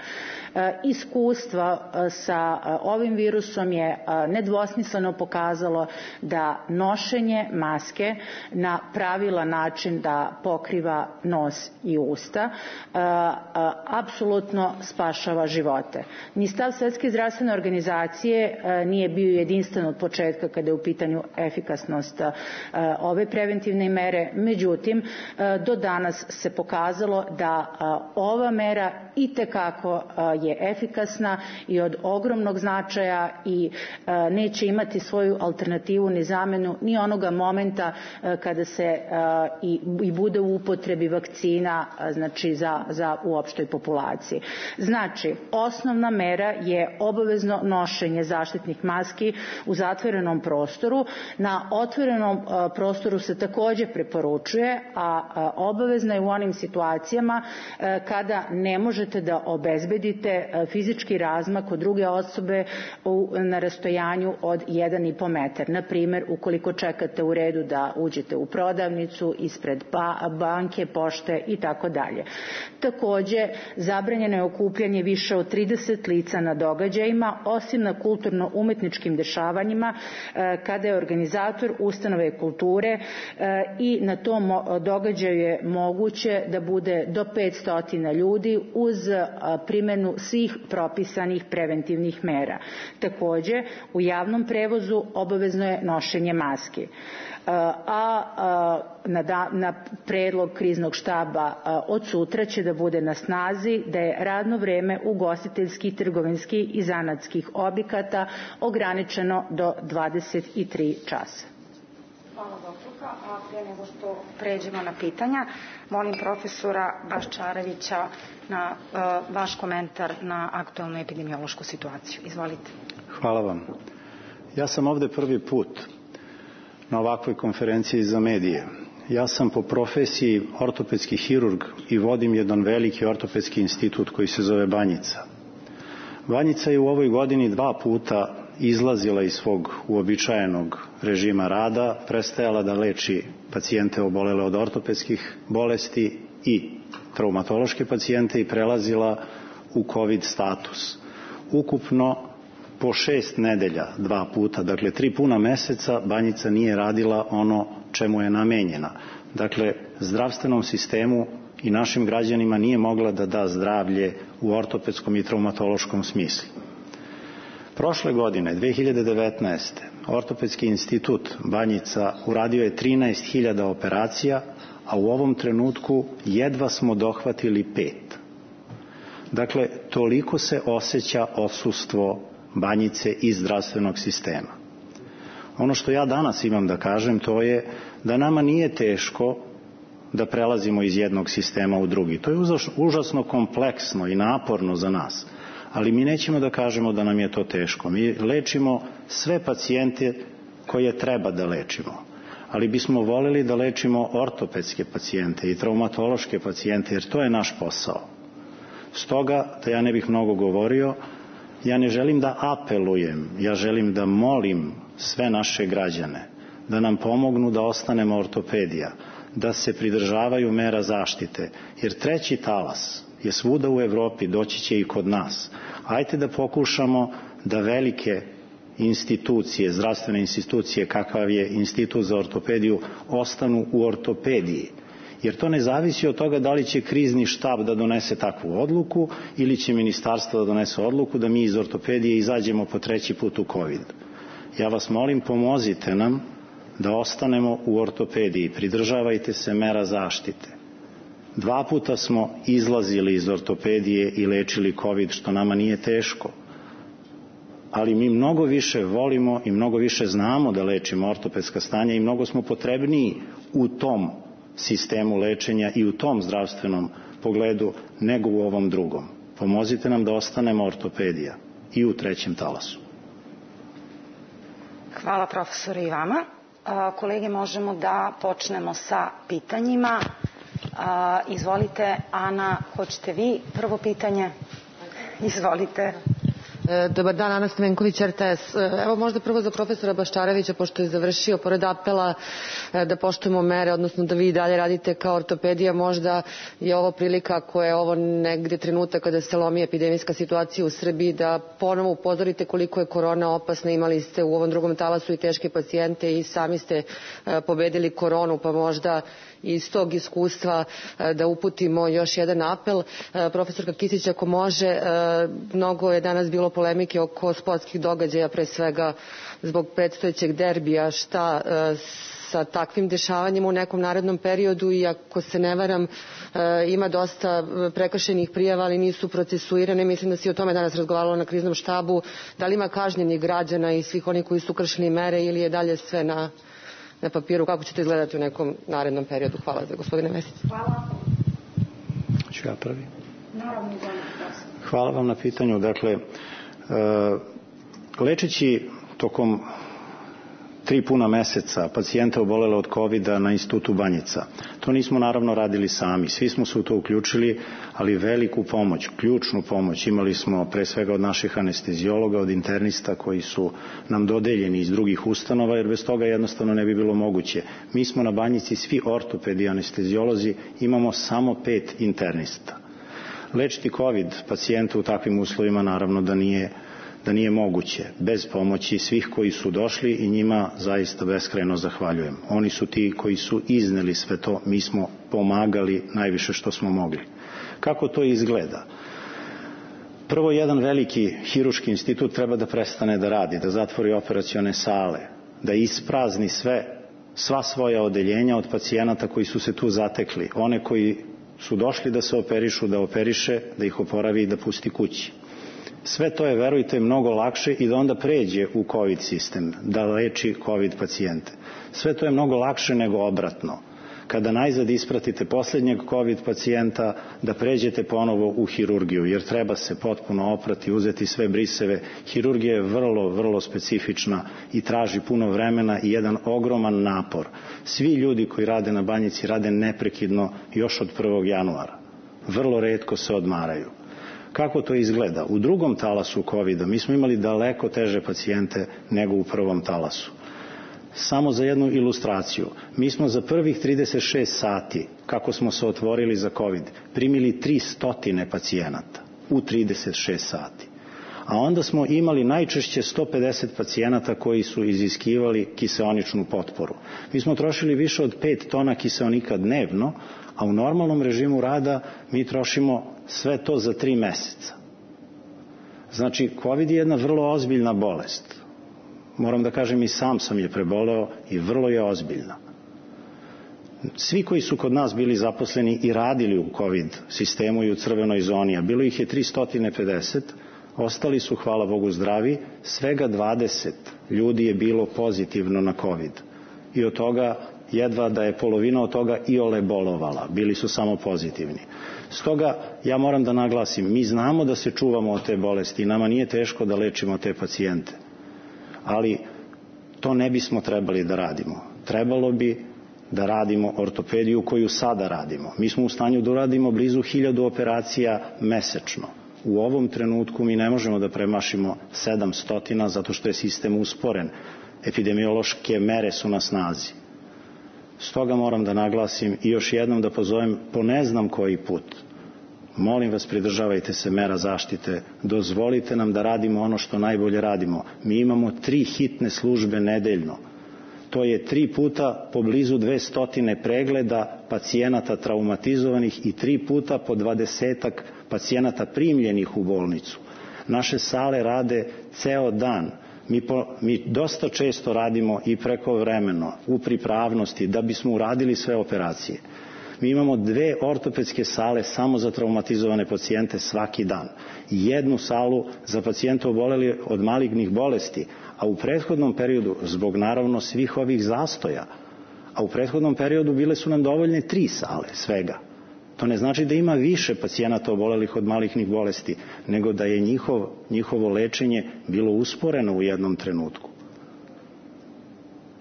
Iskustva sa ovim virusom je nedvosmisleno pokazalo da nošenje maske na pravilan način da pokriva nos i usta apsolutno spašava živote. Ni stav Svetske zdravstvene organizacije nije bio jedinstven od početka kada je u pitanju efikasnost ove preventivne mere, međutim do danas se pokazalo da ova mera itekako je efikasna i od ogromnog značaja i neće imati svoju alternativu ni zamenu ni onoga momenta kada se i, i bude u upotrebi vakcina, znači za, za u opštoj populaciji. Znači, osnovna mera je obavezno nošenje zaštitnih maski u zatvorenom prostoru. Na otvorenom prostoru se također preporučuje, a obavezna je u onim situacijama kada ne možete da obezbedite fizički razmak od druge osobe na rastojanju od jedan i po metar. Na primjer, ukoliko čekate u redu da uđete u prodavnicu, ispred banke, pošte i tako dalje. Također, zabranjeno je okupljanje više od trideset lica na događajima, osim na kulturno-umetničkim dešavanjima, kada je organizator ustanove kulture i na tom događaju je moguće da bude do petsto ljudi uz primjenu svih propisanih preventivnih mera. Također, u javnom prevozu obavezno je nošenje maski. A na, da, na predlog kriznog štaba od sutra će da bude na snazi da je radno vreme ugostiteljskih, trgovinskih i zanatskih objekata ograničeno do dvadeset tri časa. Hvala doktorka, a prije nego što pređemo na pitanja, molim profesora Baščarevića na uh, vaš komentar na aktualnu epidemiološku situaciju. Izvolite. Hvala vam. Ja sam ovde prvi put na ovakvoj konferenciji za medije. Ja sam po profesiji ortopedski hirurg i vodim jedan veliki ortopedski institut koji se zove Banjica. Banjica je u ovoj godini dva puta izlazila iz svog uobičajenog režima rada, prestajala da leči pacijente obolele od ortopedskih bolesti i traumatološke pacijente i prelazila u COVID status. Ukupno po šest nedelja, dva puta, dakle tri puna meseca, Banjica nije radila ono čemu je namenjena. Dakle, zdravstvenom sistemu i našim građanima nije mogla da da zdravlje u ortopedskom i traumatološkom smislu. Prošle godine, dve hiljade devetnaeste. Ortopedski institut Banjica uradio je trinaest hiljada operacija, a u ovom trenutku jedva smo dohvatili pet. Dakle, toliko se osjeća odsustvo Banjice iz zdravstvenog sistema. Ono što ja danas imam da kažem, to je da nama nije teško da prelazimo iz jednog sistema u drugi. To je užasno kompleksno i naporno za nas. Ali mi nećemo da kažemo da nam je to teško. Mi lečimo sve pacijente koje treba da lečimo. Ali bismo voljeli da lečimo ortopedske pacijente i traumatološke pacijente, jer to je naš posao. Stoga, da ja ne bih mnogo govorio, ja ne želim da apelujem, ja želim da molim sve naše građane da nam pomognu da ostanemo ortopedija, da se pridržavaju mera zaštite, jer treći talas je svuda u Evropi, doći će i kod nas. Ajte da pokušamo da velike institucije, zdravstvene institucije, kakav je Institut za ortopediju, ostanu u ortopediji. Jer to ne zavisi od toga da li će krizni štab da donese takvu odluku ili će ministarstvo da donese odluku da mi iz ortopedije izađemo po treći put u COVID. Ja vas molim, pomozite nam da ostanemo u ortopediji, pridržavajte se mera zaštite. Dva puta smo izlazili iz ortopedije i lečili COVID, što nama nije teško. Ali mi mnogo više volimo i mnogo više znamo da lečimo ortopedska stanja i mnogo smo potrebniji u tom sistemu lečenja i u tom zdravstvenom pogledu nego u ovom drugom. Pomozite nam da ostanemo ortopedija i u trećem talasu. Hvala profesore i vama. Kolege, možemo da počnemo sa pitanjima. Izvolite, Ana, hoćete vi prvo pitanje? Izvolite. Dobar dan, Ana Stamenković, R T S. Evo možda prvo za profesora Baščarevića, pošto je završio, pored apela da poštujemo mere, odnosno da vi dalje radite kao ortopedija, možda je ovo prilika koja je ovo negde trenutak kada se lomi epidemijska situacija u Srbiji, da ponovo upozorite koliko je korona opasna. Imali ste u ovom drugom talasu i teške pacijente i sami ste pobedili koronu, pa možda iz tog iskustva da uputimo još jedan apel. Profesorka Kisić, ako može, mnogo je danas bilo polemike oko sportskih događaja, pre svega zbog predstojećeg derbija. Šta sa takvim dešavanjima u nekom narednom periodu, i ako se ne varam, ima dosta prekršenih prijava, ali nisu procesuirane. Mislim da se i o tome danas razgovaralo na kriznom štabu. Da li ima kažnjenih građana i svih onih koji su kršili mere, ili je dalje sve na na papiru? Kako ćete izgledati u nekom narednom periodu? Hvala za gospodine Vesić. Hvala. Ću ja prvi? Naravno. Hvala vam na pitanju. Dakle, lečeći tokom tri puna meseca pacijenta obolele od kovida na Institutu Banjica. To nismo naravno radili sami, svi smo se u to uključili, ali veliku pomoć, ključnu pomoć imali smo pre svega od naših anestezijologa, od internista koji su nam dodeljeni iz drugih ustanova, jer bez toga jednostavno ne bi bilo moguće. Mi smo na Banjici svi ortopedi i anestezijolozi, imamo samo pet internista. Lečiti COVID pacijenta u takvim uslovima naravno da nije da nije moguće, bez pomoći svih koji su došli, i njima zaista beskrajno zahvaljujem. Oni su ti koji su izneli sve to, mi smo pomagali najviše što smo mogli. Kako to izgleda? Prvo, jedan veliki hiruški institut treba da prestane da radi, da zatvori operacione sale, da isprazni sve, sva svoja odeljenja od pacijenata koji su se tu zatekli, one koji su došli da se operišu, da operiše, da ih oporavi i da pusti kući. Sve to je, verujte, mnogo lakše i da onda pređe u COVID sistem, da leči COVID pacijente. Sve to je mnogo lakše nego obratno. Kada najzad ispratite posljednjeg COVID pacijenta, da pređete ponovo u hirurgiju, jer treba se potpuno oprati, uzeti sve briseve. Hirurgija je vrlo, vrlo specifična i traži puno vremena i jedan ogroman napor. Svi ljudi koji rade na Banjici rade neprekidno još od prvog januara. Vrlo retko se odmaraju. Kako to izgleda? U drugom talasu kovida mi smo imali daleko teže pacijente nego u prvom talasu. Samo za jednu ilustraciju, mi smo za prvih trideset šest sati, kako smo se otvorili za COVID, primili tristo pacijenata u trideset šest sati. A onda smo imali najčešće sto pedeset pacijenata koji su iziskivali kiseoničnu potporu. Mi smo trošili više od pet tona kiseonika dnevno, a u normalnom režimu rada mi trošimo sve to za tri meseca. Znači, COVID je jedna vrlo ozbiljna bolest. Moram da kažem, i sam sam je preboleo i vrlo je ozbiljna. Svi koji su kod nas bili zaposleni i radili u COVID sistemu i u crvenoj zoni, a bilo ih je tristo pedeset, ostali su, hvala Bogu, zdravi, svega dvadeset ljudi je bilo pozitivno na COVID. I od toga jedva da je polovina od toga i ole bolovala, bili su samo pozitivni. Stoga ja moram da naglasim, mi znamo da se čuvamo od te bolesti i nama nije teško da lečimo te pacijente, ali to ne bismo trebali da radimo. Trebalo bi da radimo ortopediju koju sada radimo. Mi smo u stanju da uradimo blizu hiljadu operacija mesečno. U ovom trenutku mi ne možemo da premašimo sedamsto zato što je sistem usporen. Epidemiološke mere su na snazi. Stoga moram da naglasim i još jednom da pozovem po ne znam koji put. Molim vas, pridržavajte se mera zaštite, dozvolite nam da radimo ono što najbolje radimo. Mi imamo tri hitne službe nedeljno. To je tri puta po blizu dvesta pregleda pacijenata traumatizovanih i tri puta po dvadesetak pacijenata primljenih u bolnicu. Naše sale rade ceo dan. Mi, po, mi dosta često radimo i prekovremeno u pripravnosti da bismo uradili sve operacije. Mi imamo dve ortopedske sale samo za traumatizovane pacijente svaki dan. Jednu salu za pacijente oboleli od malignih bolesti, a u prethodnom periodu, zbog naravno svih ovih zastoja, a u prethodnom periodu bile su nam dovoljne tri sale svega. To ne znači da ima više pacijenata obolelih od malignih bolesti, nego da je njihov, njihovo lečenje bilo usporeno u jednom trenutku.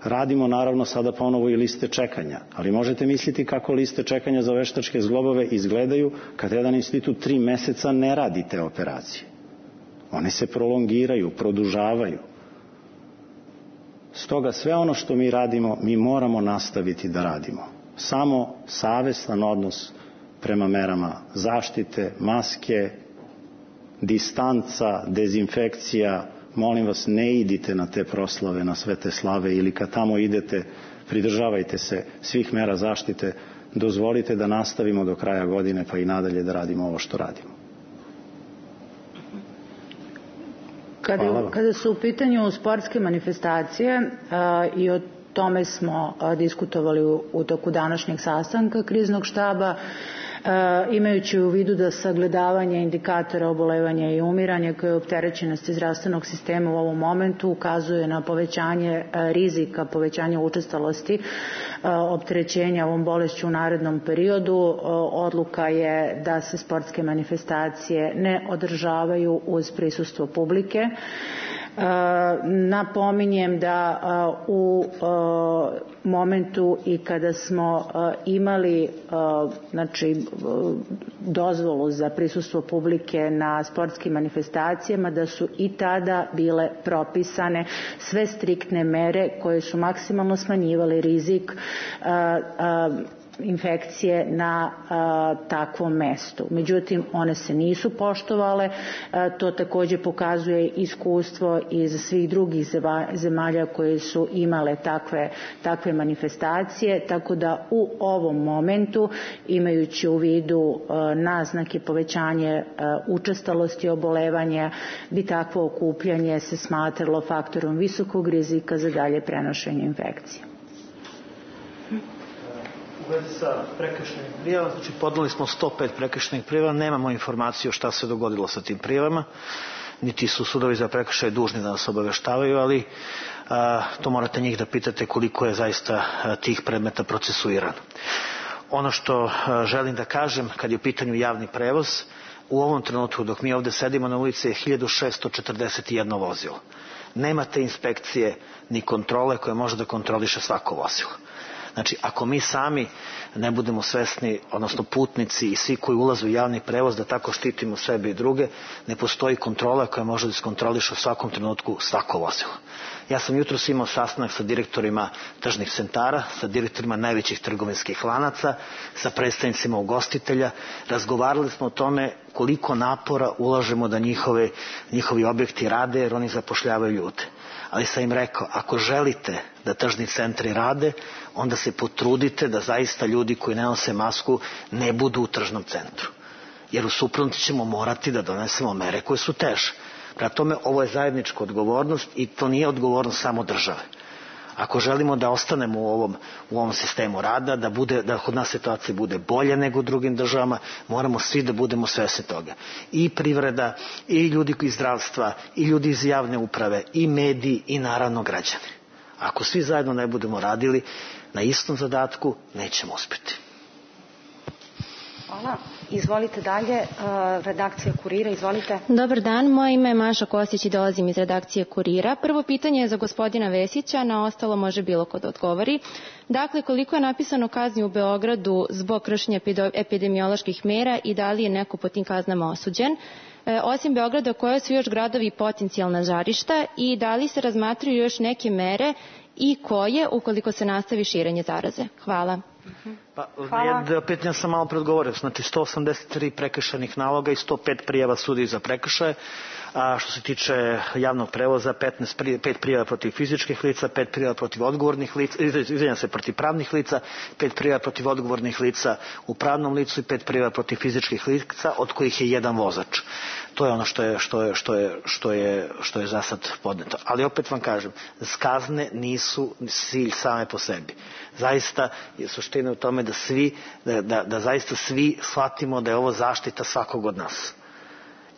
Radimo naravno sada ponovo i liste čekanja, ali možete misliti kako liste čekanja za veštačke zglobove izgledaju kad jedan institut tri meseca ne radi te operacije. One se prolongiraju, produžavaju. Stoga sve ono što mi radimo, mi moramo nastaviti da radimo. Samo savestan odnos prema merama zaštite, maske, distanca, dezinfekcija. Molim vas, ne idite na te proslave, na sve te slave, ili kad tamo idete, pridržavajte se svih mera zaštite, dozvolite da nastavimo do kraja godine pa i nadalje da radimo ovo što radimo. Kada, kada su u pitanju sportske manifestacije a, i o tome smo a, diskutovali u, u toku današnjeg sastanka kriznog štaba, E, imajući u vidu da sagledavanje indikatora obolevanja i umiranja koje je opterećenosti zdravstvenog sistema u ovom momentu ukazuje na povećanje e, rizika, povećanje učestalosti e, opterećenja ovom bolešću u narednom periodu, e, odluka je da se sportske manifestacije ne održavaju uz prisustvo publike. Napominjem da u momentu i kada smo imali znači, dozvolu za prisustvo publike na sportskim manifestacijama, da su i tada bile propisane sve striktne mere koje su maksimalno smanjivale rizik infekcije na a, takvom mestu. Međutim, one se nisu poštovale. A, to takođe pokazuje iskustvo iz svih drugih zemalja koje su imale takve, takve manifestacije, tako da u ovom momentu, imajući u vidu a, naznake povećanje a, učestalosti obolevanja, bi takvo okupljanje se smatralo faktorom visokog rizika za dalje prenošenje infekcije. U vezi sa prekršajnim prijavama, znači podneli smo sto pet prekršajnih prijava, nemamo informaciju šta se dogodilo sa tim prijavama, niti su sudovi za prekršaje dužni da nas obaveštavaju, ali a, to morate njih da pitate koliko je zaista a, tih predmeta procesuirano. Ono što a, želim da kažem, kad je u pitanju javni prevoz, u ovom trenutku dok mi ovde sedimo na ulici je hiljadu šesto četrdeset jedno vozilo. Nemate inspekcije ni kontrole koje može da kontroliše svako vozilo. Znači, ako mi sami ne budemo svesni, odnosno putnici i svi koji ulaze u javni prevoz, da tako štitimo sebe i druge, ne postoji kontrola koja može da iskontroliše u svakom trenutku svako vozilo. Ja sam jutros imao sastanak sa direktorima tržnih centara, sa direktorima najvećih trgovinskih lanaca, sa predstavnicima ugostitelja. Razgovarali smo o tome koliko napora ulažemo da njihove, njihovi objekti rade, jer oni zapošljavaju ljude. Ali sam im rekao, ako želite da tržni centri rade, onda se potrudite da zaista ljudi koji ne nose masku ne budu u tržnom centru. Jer u suprotnom ćemo morati da donesemo mere koje su teže. Prema tome, ovo je zajednička odgovornost i to nije odgovornost samo države. Ako želimo da ostanemo u ovom, u ovom sistemu rada, da, bude, da kod nas situacija bude bolje nego u drugim državama, moramo svi da budemo svesni toga. I privreda, i ljudi iz zdravstva, i ljudi iz javne uprave, i mediji, i naravno građani. Ako svi zajedno ne budemo radili na istom zadatku, nećemo uspjeti. Hvala. Izvolite dalje, redakcija Kurira, izvolite. Dobar dan, moje ime je Maša Kostić i dolazim iz redakcije Kurira. Prvo pitanje je za gospodina Vesića, na ostalo može bilo ko da odgovori. Dakle, koliko je napisano kazni u Beogradu zbog kršenja epidemioloških mera i da li je neko po tim kaznama osuđen? E, osim Beograda, koje su još gradovi potencijalna žarišta i da li se razmatraju još neke mere i koje ukoliko se nastavi širenje zaraze? Hvala. Pa, na pitanja sam malo predgovorio, znači sto osamdeset tri prekršajnih naloga i sto pet prijava sudi za prekršaje. A što se tiče javnog prevoza, petnaest, pet prijava protiv fizičkih lica, pet prijava protiv odgovornih lica, izvinjam se, protiv pravnih lica, pet prijava protiv odgovornih lica u pravnom licu i pet prijava protiv fizičkih lica, od kojih je jedan vozač. To je ono što je, što je, što je, što je, što je za sad podneto. Ali opet vam kažem, kazne nisu cilj same po sebi. Zaista je suština u tome da svi, da, da, da zaista svi shvatimo da je ovo zaštita svakog od nas.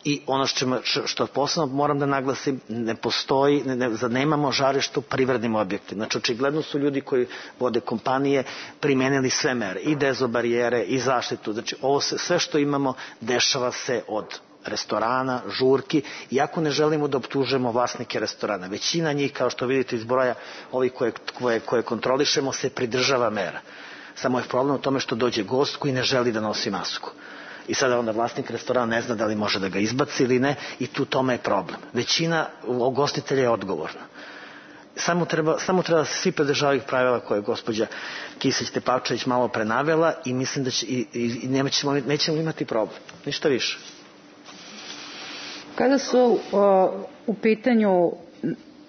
I ono što, što posebno moram da naglasim, ne postoji, ne, ne, nemamo žarište u privrednim objektima. Znači, očigledno su ljudi koji vode kompanije primenili sve mere, i dezobarijere, i zaštitu. Znači, ovo se, sve što imamo dešava se od restorana, žurki, iako ne želimo da optužujemo vlasnike restorana. Većina njih, kao što vidite iz broja ovih koje, koje, koje kontrolišemo, se pridržava mera. Samo je problem u tome što dođe gost koji ne želi da nosi masku. I sada onda vlasnik restorana ne zna da li može da ga izbaci ili ne i tu tome je problem. Većina ugostitelja je odgovorna. Samo treba, samo treba da se svi pridržavaju pravila koje je gospođa Kisić-Tepavčević malo prenavela i mislim da će, i, i, i nećemo, nećemo imati problem. Ništa više. Kada su o, u pitanju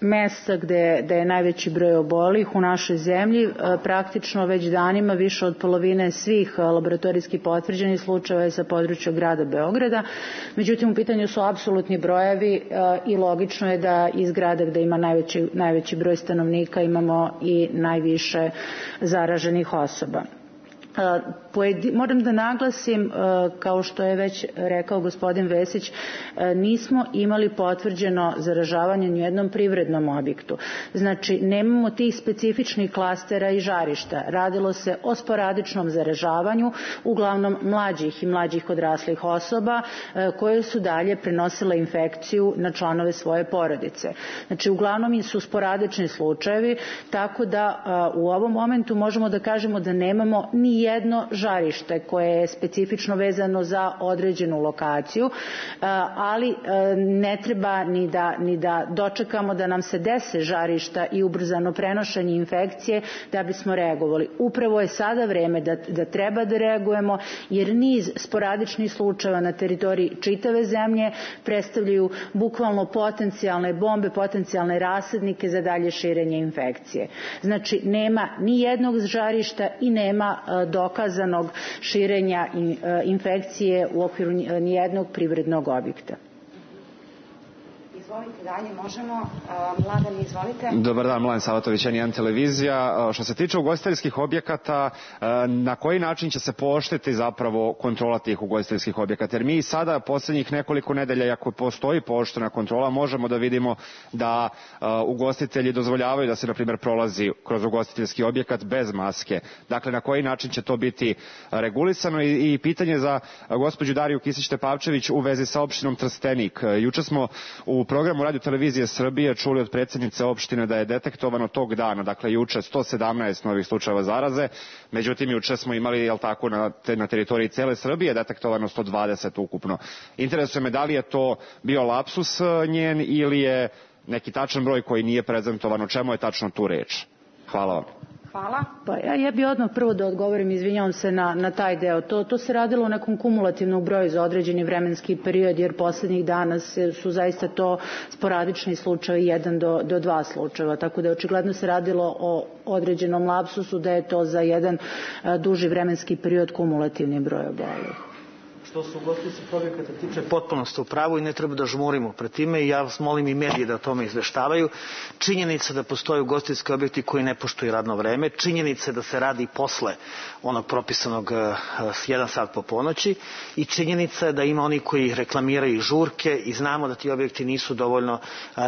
mesta gde, gde je najveći broj obolih u našoj zemlji, praktično već danima više od polovine svih laboratorijski potvrđenih slučajeva je sa područja grada Beograda. Međutim, u pitanju su apsolutni brojevi i logično je da iz grada gde ima najveći, najveći broj stanovnika imamo i najviše zaraženih osoba. Moram da naglasim, kao što je već rekao gospodin Vesić, nismo imali potvrđeno zaražavanje ni u jednom privrednom objektu. Znači, nemamo tih specifičnih klastera i žarišta. Radilo se o sporadičnom zaražavanju, uglavnom mlađih i mlađih odraslih osoba koje su dalje prenosile infekciju na članove svoje porodice. Znači, uglavnom su sporadični slučajevi, tako da u ovom momentu možemo da kažemo da nemamo ni jedno žarište koje je specifično vezano za određenu lokaciju, ali ne treba ni da, ni da dočekamo da nam se dese žarišta i ubrzano prenošenje infekcije da bismo reagovali. Upravo je sada vreme da, da treba da reagujemo, jer niz sporadičnih slučajeva na teritoriji čitave zemlje predstavljaju bukvalno potencijalne bombe, potencijalne rasadnike za dalje širenje infekcije. Znači, nema ni jednog žarišta i nema dokazanog širenja infekcije u okviru nijednog privrednog objekta. Izvolite dalje, možemo. Mladen, izvolite. Dobar dan, Mladen Savatović, N jedan televizija. Što se tiče ugostiteljskih objekata, na koji način će se pooštriti zapravo kontrola tih ugostiteljskih objekata? Jer mi sada poslednjih nekoliko nedelja, ako postoji pooštrena kontrola, možemo da vidimo da ugostitelji dozvoljavaju da se, na primjer, prolazi kroz ugostiteljski objekat bez maske. Dakle, na koji način će to biti regulisano? I, i pitanje za gospođu Dariju Kisić-Tepavčević u vezi sa opštinom Trstenik. Juče smo u programu Radio televizije Srbije čuli od predsjednice opštine da je detektovano tog dana, dakle juče, sto sedamnaest novih slučajeva zaraze, međutim juče smo imali, jel tako, na, te, na teritoriji cele Srbije detektovano sto dvadeset ukupno. Interesuje me da li je to bio lapsus njen ili je neki tačan broj koji nije prezentovan, o čemu je tačno tu reč? Hvala vam. Hvala. Pa ja, ja bih odmah prvo da odgovorim, izvinjavam se na, na taj deo. To, to se radilo u nekom kumulativnom broju za određeni vremenski period, jer poslednjih dana se, su zaista to sporadični slučaj, jedan do, do dva slučajeva. Tako da očigledno se radilo o određenom lapsusu, da je to za jedan a, duži vremenski period kumulativni broj obolelih. Što se ugostiteljskih objekata tiče, potpuno ste u pravu i ne treba da žmurimo pred time i ja vas molim i medije da o tome izveštavaju. Činjenica da postoje ugostiteljski objekti koji ne poštuju radno vreme, činjenica da se radi posle onog propisanog s jedan sat po ponoći i činjenica da ima oni koji reklamiraju žurke i znamo da ti objekti nisu dovoljno,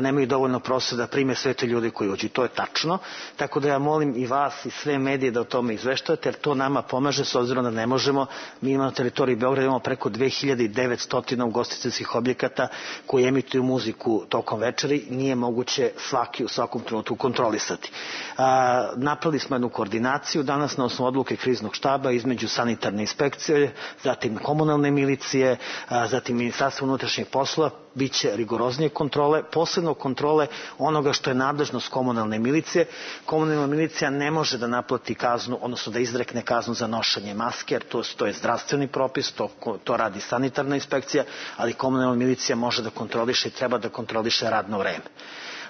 nemaju dovoljno prostora da prime sve te ljude koji uđu. To je tačno, tako da ja molim i vas i sve medije da o tome izveštavate, jer to nama pomaže s obzirom da ne možemo, mi imamo na teritoriji Beograda, imamo preko dve hiljade devetsto ugostiteljskih objekata koji emituju muziku tokom večeri, nije moguće svaki u svakom trenutku kontrolisati. A, napravili smo jednu koordinaciju danas na osnovu odluke kriznog štaba između sanitarne inspekcije, zatim komunalne milicije, a, zatim Ministarstva unutrašnjih poslova, biće rigoroznije kontrole, posebno kontrole onoga što je nadležnost komunalne milicije. Komunalna milicija ne može da naplati kaznu, odnosno da izrekne kaznu za nošenje maske, jer to, to je zdravstveni propis, to, to radi sanitarna inspekcija, ali komunalna milicija može da kontroliše i treba da kontroliše radno vreme.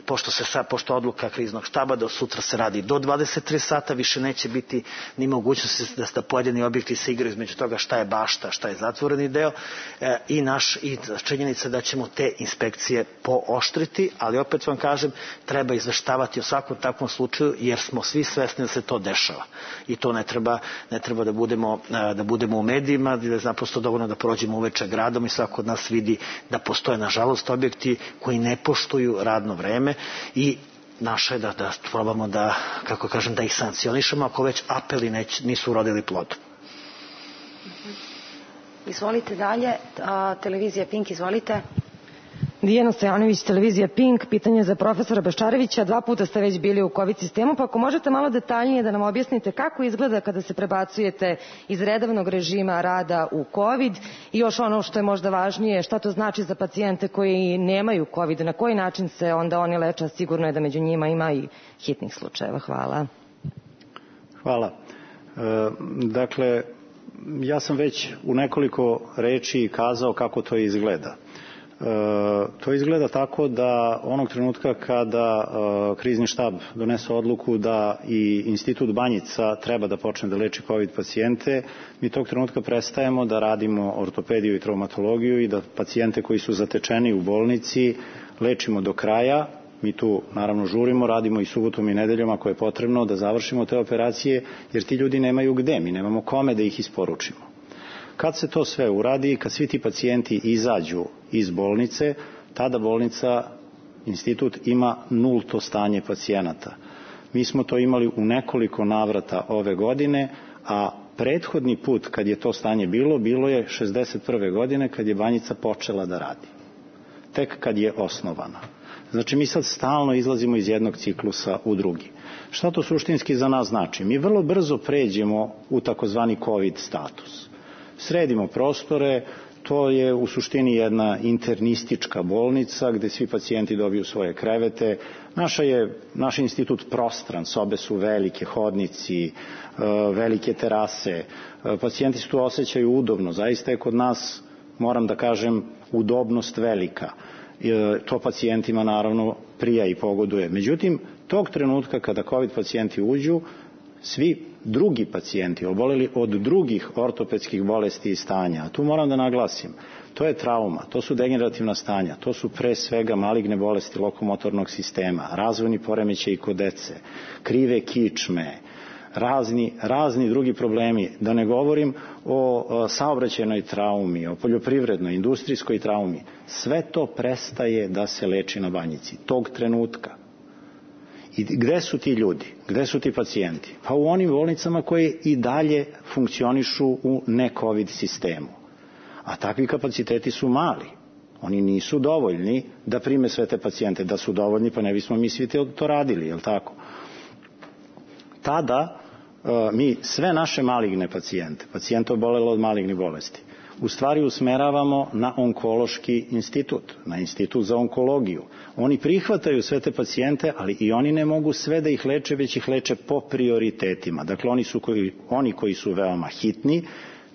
Pošto se sad, pošto odluka kriznog štaba da sutra se radi do dvadeset tri sata, više neće biti ni mogućnosti da sta pojedini objekti se igraju između toga šta je bašta, šta je zatvoreni deo e, i naš i činjenica da ćemo te inspekcije pooštriti, ali opet vam kažem, treba izveštavati o svakom takvom slučaju, jer smo svi svesni da se to dešava. I to ne treba, ne treba da budemo, da budemo u medijima, da je naprosto dovoljno da prođemo uveče gradom i svako od nas vidi da postoje, nažalost, objekti koji ne poštuju radno vreme i naše je da, da probamo da, kako kažem, da ih sankcionišemo ako već apeli neć, nisu urodili plodom. Izvolite dalje, televizija Pink, izvolite. Dijana Stojanović, televizija Pink, pitanje za profesora Baščarevića. Dva puta ste već bili u COVID sistemu, pa ako možete malo detaljnije da nam objasnite kako izgleda kada se prebacujete iz redovnog režima rada u COVID i još ono što je možda važnije, šta to znači za pacijente koji nemaju COVID, na koji način se onda oni leče, sigurno je da među njima ima i hitnih slučajeva. Hvala. Hvala. E, dakle, ja sam već u nekoliko reči kazao kako to izgleda. E, to izgleda tako da onog trenutka kada e, krizni štab donese odluku da i Institut Banjica treba da počne da leči COVID pacijente, mi tog trenutka prestajemo da radimo ortopediju i traumatologiju i da pacijente koji su zatečeni u bolnici lečimo do kraja. Mi tu naravno žurimo, radimo i subotom i nedeljom ako je potrebno da završimo te operacije, jer ti ljudi nemaju gde, mi nemamo kome da ih isporučimo. Kad se to sve uradi, kad svi ti pacijenti izađu iz bolnice, tada bolnica, institut ima nulto stanje pacijenata. Mi smo to imali u nekoliko navrata ove godine, a prethodni put kad je to stanje bilo, bilo je šezdeset prve godine kad je Banjica počela da radi. Tek kad je osnovana. Znači mi sad stalno izlazimo iz jednog ciklusa u drugi. Šta to suštinski za nas znači? Mi vrlo brzo pređemo u takozvani COVID status. Sredimo prostore, to je u suštini jedna internistička bolnica gde svi pacijenti dobiju svoje krevete. Naša je, naš institut prostran, sobe su velike, hodnici, velike terase, pacijenti se tu osjećaju udobno, zaista je kod nas, moram da kažem, udobnost velika. To pacijentima naravno prija i pogoduje. Međutim, tog trenutka kada COVID pacijenti uđu, svi drugi pacijenti oboleli od drugih ortopedskih bolesti i stanja, a tu moram da naglasim, to je trauma, to su degenerativna stanja, to su pre svega maligne bolesti lokomotornog sistema, razvojni poremećaji kod dece, krive kičme, razni, razni drugi problemi, da ne govorim o, o saobraćajnoj traumi, o poljoprivrednoj, industrijskoj traumi. Sve to prestaje da se leči na Banjici, tog trenutka. I gde su ti ljudi? Gde su ti pacijenti? Pa u onim bolnicama koje i dalje funkcionišu u ne-COVID sistemu. A takvi kapaciteti su mali. Oni nisu dovoljni da prime sve te pacijente. Da su dovoljni, pa ne bismo mi svi to radili, je li tako? Tada mi sve naše maligne pacijente, pacijente obolelo od malignih bolesti, u stvari usmeravamo na onkološki institut, na institut za onkologiju. Oni prihvataju sve te pacijente, ali i oni ne mogu sve da ih leče, već ih leče po prioritetima. Dakle, oni, su koji, oni koji su veoma hitni,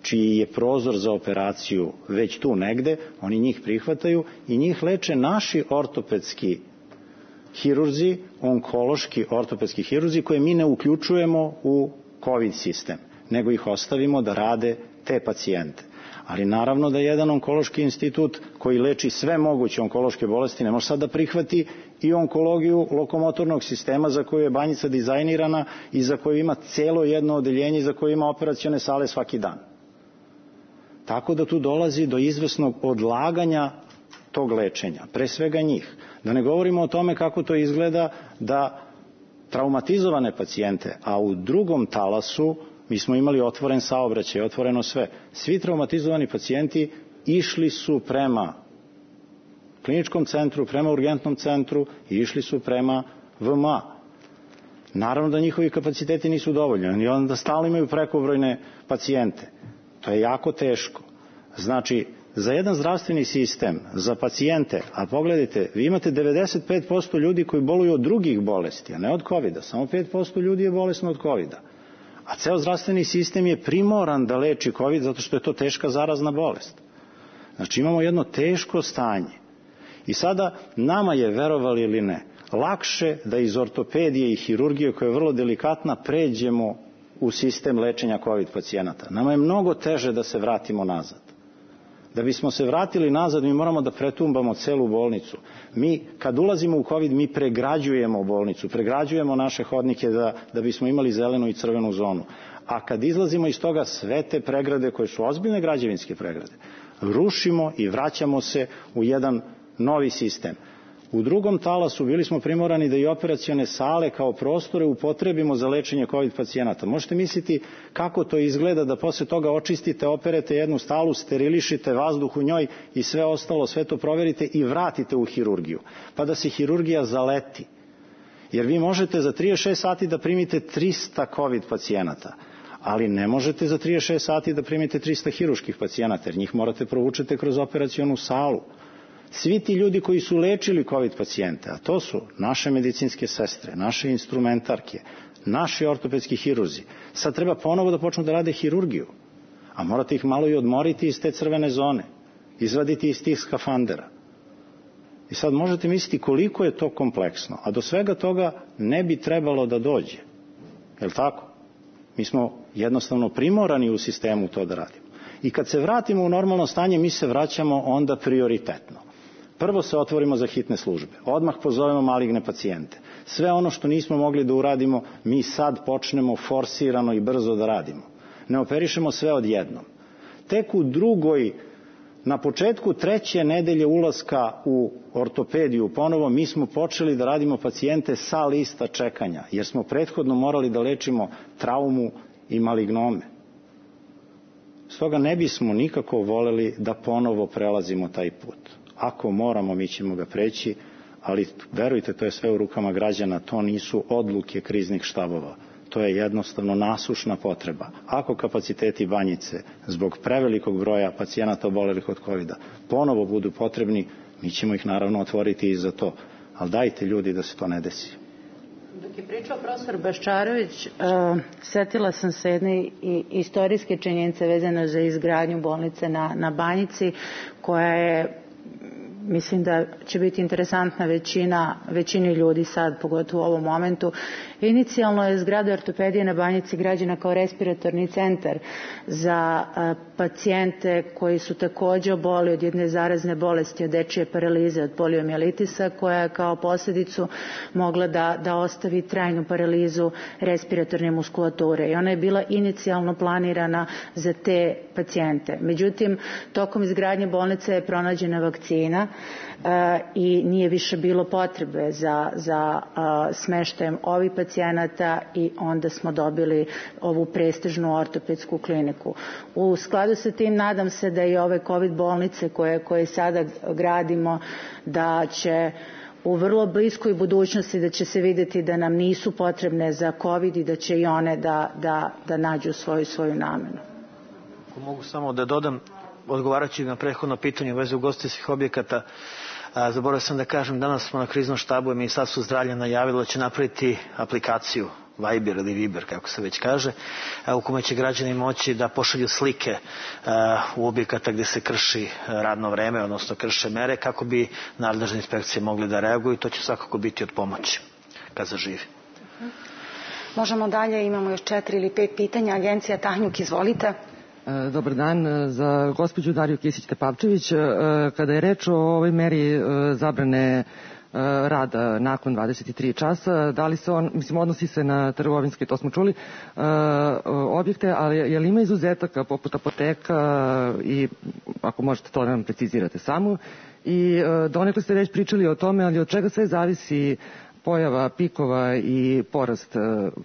čiji je prozor za operaciju već tu negde, oni njih prihvataju i njih leče naši ortopedski hirurzi, onkološki ortopedski hirurzi koje mi ne uključujemo u COVID sistem, nego ih ostavimo da rade te pacijente. Ali naravno da jedan onkološki institut koji leči sve moguće onkološke bolesti ne može sad da prihvati i onkologiju lokomotornog sistema za koju je Banjica dizajnirana i za koju ima celo jedno odeljenje i za koju ima operacione sale svaki dan. Tako da tu dolazi do izvesnog odlaganja tog lečenja, pre svega njih. Da ne govorimo o tome kako to izgleda da traumatizovane pacijente, a u drugom talasu mi smo imali otvoren saobraćaj, otvoreno sve. Svi traumatizovani pacijenti išli su prema kliničkom centru, prema urgentnom centru i išli su prema V M A. Naravno da njihovi kapaciteti nisu dovoljni i onda stalno imaju prekobrojne pacijente. To je jako teško. Znači, za jedan zdravstveni sistem, za pacijente, a pogledajte, vi imate devedeset pet posto ljudi koji boluju od drugih bolesti, a ne od kovida. Samo pet posto ljudi je bolesno od kovida. A ceo zdravstveni sistem je primoran da leči COVID zato što je to teška zarazna bolest. Znači imamo jedno teško stanje. I sada nama je, verovali ili ne, lakše da iz ortopedije i hirurgije, koja je vrlo delikatna, pređemo u sistem lečenja COVID pacijenata. Nama je mnogo teže da se vratimo nazad. Da bismo se vratili nazad, mi moramo da pretumbamo celu bolnicu. Mi, kad ulazimo u COVID, mi pregrađujemo bolnicu, pregrađujemo naše hodnike da, da bismo imali zelenu i crvenu zonu. A kad izlazimo iz toga, sve te pregrade, koje su ozbiljne građevinske pregrade, rušimo i vraćamo se u jedan novi sistem. U drugom talasu bili smo primorani da i operacione sale kao prostore upotrebimo za lečenje COVID pacijenata. Možete misliti kako to izgleda da posle toga očistite, operete jednu stalu, sterilišite vazduh u njoj i sve ostalo, sve to proverite i vratite u hirurgiju. Pa da se hirurgija zaleti. Jer vi možete za trideset šest sati da primite trista COVID pacijenata, ali ne možete za trideset šest sati da primite trista hiruških pacijenata, jer njih morate provučete kroz operacionu salu. Svi ti ljudi koji su lečili COVID pacijente, a to su naše medicinske sestre, naše instrumentarke, naši ortopedski hirurzi, sad treba ponovo da počnu da rade hirurgiju, a morate ih malo i odmoriti iz te crvene zone, izvaditi iz tih skafandera. I sad možete misliti koliko je to kompleksno, a do svega toga ne bi trebalo da dođe. Je li tako? Mi smo jednostavno primorani u sistemu to da radimo. I kad se vratimo u normalno stanje, mi se vraćamo onda prioritetno. Prvo se otvorimo za hitne službe, odmah pozovemo maligne pacijente. Sve ono što nismo mogli da uradimo, mi sad počnemo forsirano i brzo da radimo. Ne operišemo sve odjednom. Tek u drugoj, na početku treće nedelje ulaska u ortopediju ponovo, mi smo počeli da radimo pacijente sa lista čekanja, jer smo prethodno morali da lečimo traumu i malignome. Stoga ne bismo nikako voleli da ponovo prelazimo taj put. Ako moramo, mi ćemo ga preći, ali verujte, to je sve u rukama građana, to nisu odluke kriznih štabova. To je jednostavno nasušna potreba. Ako kapaciteti Banjice zbog prevelikog broja pacijenata obolelih od kovida ponovo budu potrebni, mi ćemo ih naravno otvoriti i za to. Ali dajte ljudi da se to ne desi. Dok je pričao profesor Baščarović, uh, setila sam se jedne istorijske činjenice vezane za izgradnju bolnice na, na Banjici, koja je, mislim da će biti interesantna većina, većini ljudi sad, pogotovo u ovom momentu. Inicijalno je zgrada ortopedije na Banjici građena kao respiratorni centar za a, pacijente koji su takođe oboli od jedne zarazne bolesti, od dečije paralize, od poliomijelitisa, koja je kao posljedicu mogla da, da ostavi trajnu paralizu respiratorne muskulature. I ona je bila inicijalno planirana za te pacijente. Međutim, tokom izgradnje bolnice je pronađena vakcina i nije više bilo potrebe za, za smeštajem ovih pacijenata i onda smo dobili ovu prestižnu ortopedsku kliniku. U skladu sa tim nadam se da i ove COVID bolnice koje, koje sada gradimo, da će u vrlo bliskoj budućnosti da će se vidjeti da nam nisu potrebne za COVID i da će i one da, da, da nađu svoju, svoju namenu. Ako mogu samo da dodam, odgovarajući na prethodno pitanje u vezi ugostiteljskih objekata, zaboravio sam da kažem, danas smo na kriznom štabu i Ministarstvo zdravlja najavilo da će napraviti aplikaciju Viber ili Viber, kako se već kaže, u kome će građani moći da pošalju slike u objekata gde se krši radno vreme, odnosno krše mere, kako bi nadležne inspekcije mogli da reaguju i to će svakako biti od pomoći kad zaživi. Možemo dalje, imamo još četiri ili pet pitanja. Agencija Tanjug, izvolite. Dobar dan. Za gospođu Dariju Kisić-Tepavčević, kada je reč o ovoj meri zabrane rada nakon dvadeset tri časa, da li se on, mislim, odnosi se na trgovinske, to smo čuli, objekte, ali je li ima izuzetaka poput apoteka i ako možete to da nam precizirate samo, i donekle ste već pričali o tome, ali od čega sve zavisi pojava pikova i porast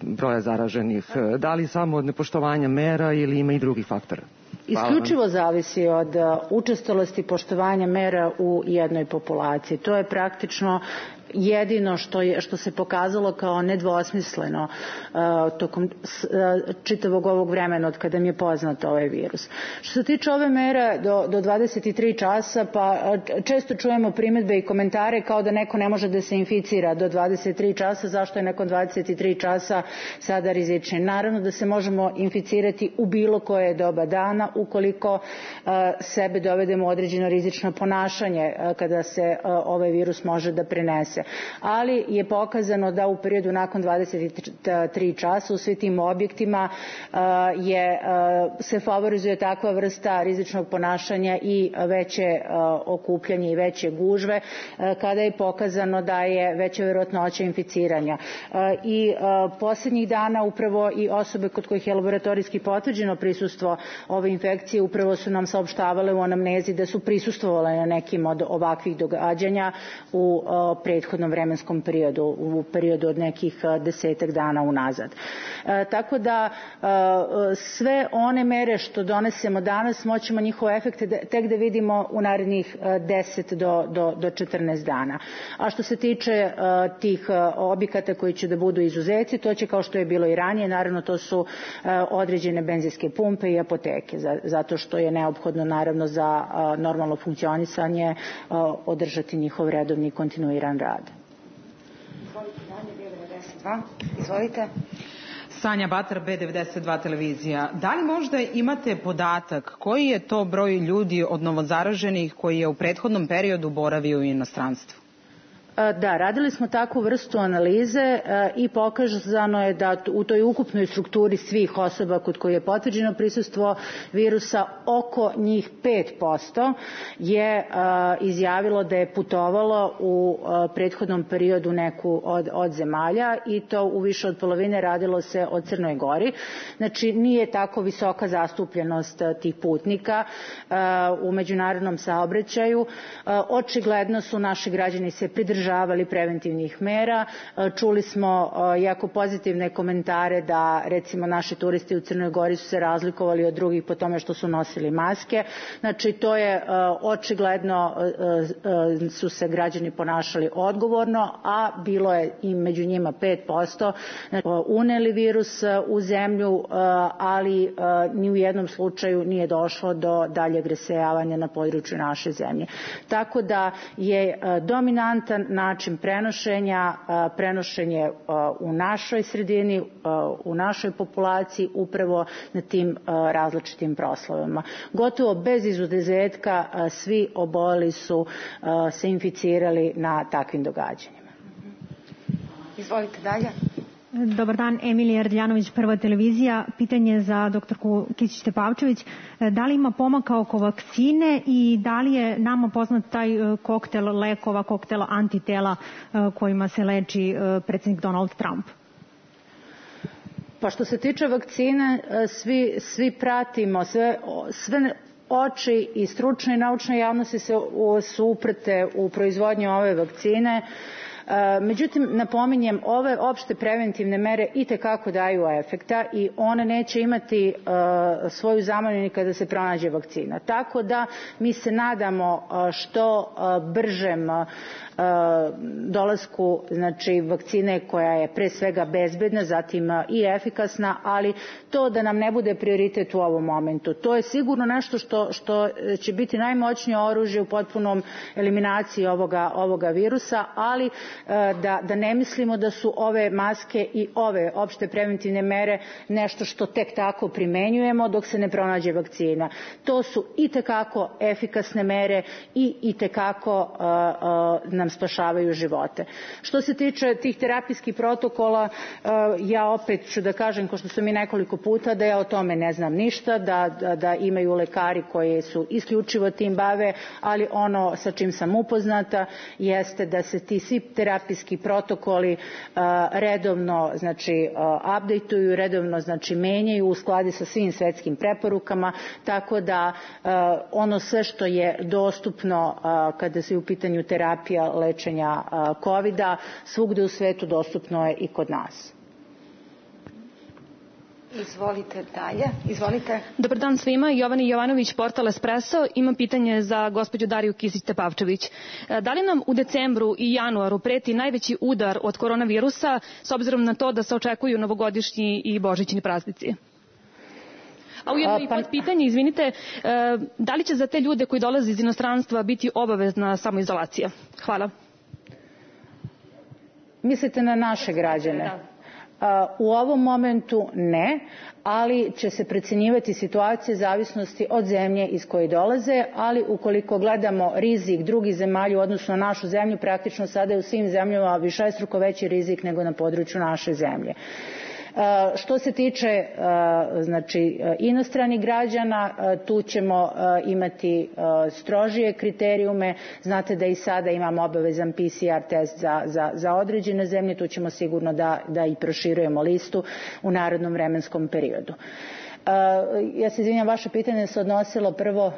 broja zaraženih? Da li samo od nepoštovanja mera ili ima i drugih faktora? Isključivo zavisi od učestalosti poštovanja mera u jednoj populaciji. To je praktično jedino što, je, što se pokazalo kao nedvosmisleno uh, tokom uh, čitavog ovog vremena od kada mi je poznat ovaj virus. Što se tiče ove mere do, do dvadeset tri časa, pa uh, često čujemo primedbe i komentare kao da neko ne može da se inficira do dvadeset tri časa, zašto je nakon dvadeset tri časa sada rizični. Naravno da se možemo inficirati u bilo koje doba dana ukoliko uh, sebe dovedemo u određeno rizično ponašanje uh, kada se uh, ovaj virus može da prenese. bolnice. Ali je pokazano da u periodu nakon dvadeset tri časa u svim tim objektima je, se favorizuje takva vrsta rizičnog ponašanja i veće okupljanje i veće gužve, kada je pokazano da je veća verovatnoća inficiranja. I posljednjih dana upravo i osobe kod kojih je laboratorijski potvrđeno prisustvo ove infekcije upravo su nam saopštavale u anamnezi da su prisustvovale na nekim od ovakvih događanja u prethodnom vremenskom periodu, u periodu od nekih desetak dana unazad. Tako da sve one mere što donesemo danas moćemo njihove efekte tek da vidimo u narednih deset do četrnaest dana. A što se tiče tih objekata koji će da budu izuzeci, to će, kao što je bilo i ranije, naravno to su određene benzinske pumpe i apoteke, zato što je neophodno naravno za normalno funkcionisanje održati njihov redovni i kontinuiran rad. Izvolite. Sanja Batar, B devedeset dva televizija. Da li možda imate podatak koji je to broj ljudi od novozaraženih koji je u prethodnom periodu boravio u inostranstvu? Da, radili smo takvu vrstu analize i pokazano je da u toj ukupnoj strukturi svih osoba kod koje je potvrđeno prisustvo virusa oko njih pet posto je izjavilo da je putovalo u prethodnom periodu neku od, od zemalja i to u više od polovine radilo se o Crnoj Gori. Znači nije tako visoka zastupljenost tih putnika u međunarodnom saobraćaju. Očigledno su naši građani se pridržavali preventivnih mera. Čuli smo jako pozitivne komentare da recimo naši turisti u Crnoj Gori su se razlikovali od drugih po tome što su nosili maske. Znači to je očigledno su se građani ponašali odgovorno, a bilo je i među njima pet posto uneli virus u zemlju, ali ni u jednom slučaju nije došlo do daljeg rasejavanja na području naše zemlje. Tako da je dominantan način prenošenja, prenošenje u našoj sredini, u našoj populaciji upravo na tim različitim proslavama. Gotovo bez izuzetka svi oboleli su se inficirali na takvim događanjima. Izvolite dalje. Dobar dan, Emilija Rdljanović, Prva televizija. Pitanje za doktorku Kisić-Tepavčević. Da li ima pomaka oko vakcine i da li je nama poznat taj koktel lekova, koktel antitela kojima se leči predsjednik Donald Trump? Pa što se tiče vakcine, svi, svi pratimo, sve, sve oči i stručne i naučne javnosti su uprte u proizvodnju ove vakcine. Međutim, napominjem, ove opšte preventivne mere itekako daju efekta i one neće imati svoju zamenu ni kada se pronađe vakcina. Tako da mi se nadamo što bržem dolasku, znači, vakcine koja je pre svega bezbedna, zatim i efikasna, ali to da nam ne bude prioritet u ovom momentu. To je sigurno nešto što, što će biti najmoćnije oružje u potpunom eliminaciji ovoga, ovoga virusa, ali da, da ne mislimo da su ove maske i ove opšte preventivne mere nešto što tek tako primenjujemo dok se ne pronađe vakcina. To su itekako efikasne mere i itekako uh, uh, nam spašavaju živote. Što se tiče tih terapijskih protokola, ja opet ću da kažem, kao što sam i nekoliko puta, da ja o tome ne znam ništa, da, da, da imaju lekari koji su isključivo tim bave, ali ono sa čim sam upoznata jeste da se ti svi terapijski protokoli redovno, znači, updateuju, redovno, znači, menjaju u skladu sa svim svetskim preporukama, tako da ono sve što je dostupno kada se u pitanju terapija lečenja kovida, svugde u svetu dostupno je i kod nas. Izvolite dalje. Izvolite. Dobar dan svima. Jovana Jovanović, portal Espresso. Imam pitanje za gospođu Dariju Kisić-Tepavčević. Da li nam u decembru i januaru preti najveći udar od koronavirusa s obzirom na to da se očekuju novogodišnji i božićni praznici? A ujedno i pod pitanje, izvinite, da li će za te ljude koji dolaze iz inostranstva biti obavezna samoizolacija? Hvala. Mislite na naše građane? Da. U ovom momentu ne, ali će se procenjivati situacije zavisnosti od zemlje iz koje dolaze, ali ukoliko gledamo rizik drugih zemalja u odnosu na našu zemlju, praktično sada je u svim zemljama višestruko veći rizik nego na području naše zemlje. Što se tiče znači inostranih građana, tu ćemo imati strožije kriterijume. Znate da i sada imamo obavezan P C R test za, za, za određene zemlje, tu ćemo sigurno da, da i proširujemo listu u narednom vremenskom periodu. Ja se izvinjam, vaše pitanje se odnosilo prvo...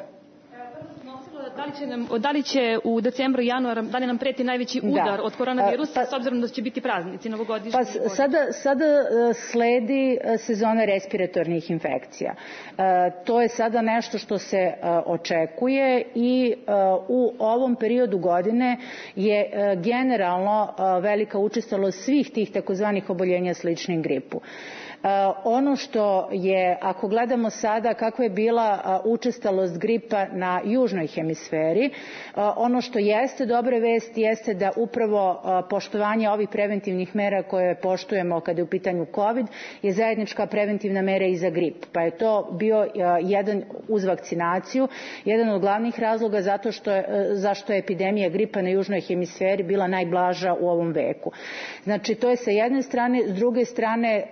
Da li, će nam, da li će u decembru i januaru, da li nam preti najveći udar da. od koronavirusa, pa, s obzirom da će biti praznici novogodišnji? Pa sada, sada sledi sezona respiratornih infekcija. To je sada nešto što se očekuje i u ovom periodu godine je generalno velika učestalost svih tih takozvanih oboljenja sličnih gripu. Ono što je, ako gledamo sada kako je bila učestalost gripa na južnoj hemisferi, ono što jeste dobre vesti jeste da upravo poštovanje ovih preventivnih mera koje poštujemo kada je u pitanju COVID je zajednička preventivna mera i za grip. Pa je to bio jedan uz vakcinaciju, jedan od glavnih razloga zato što je, zašto je epidemija gripa na južnoj hemisferi bila najblaža u ovom veku. Znači to je sa jedne strane, s druge strane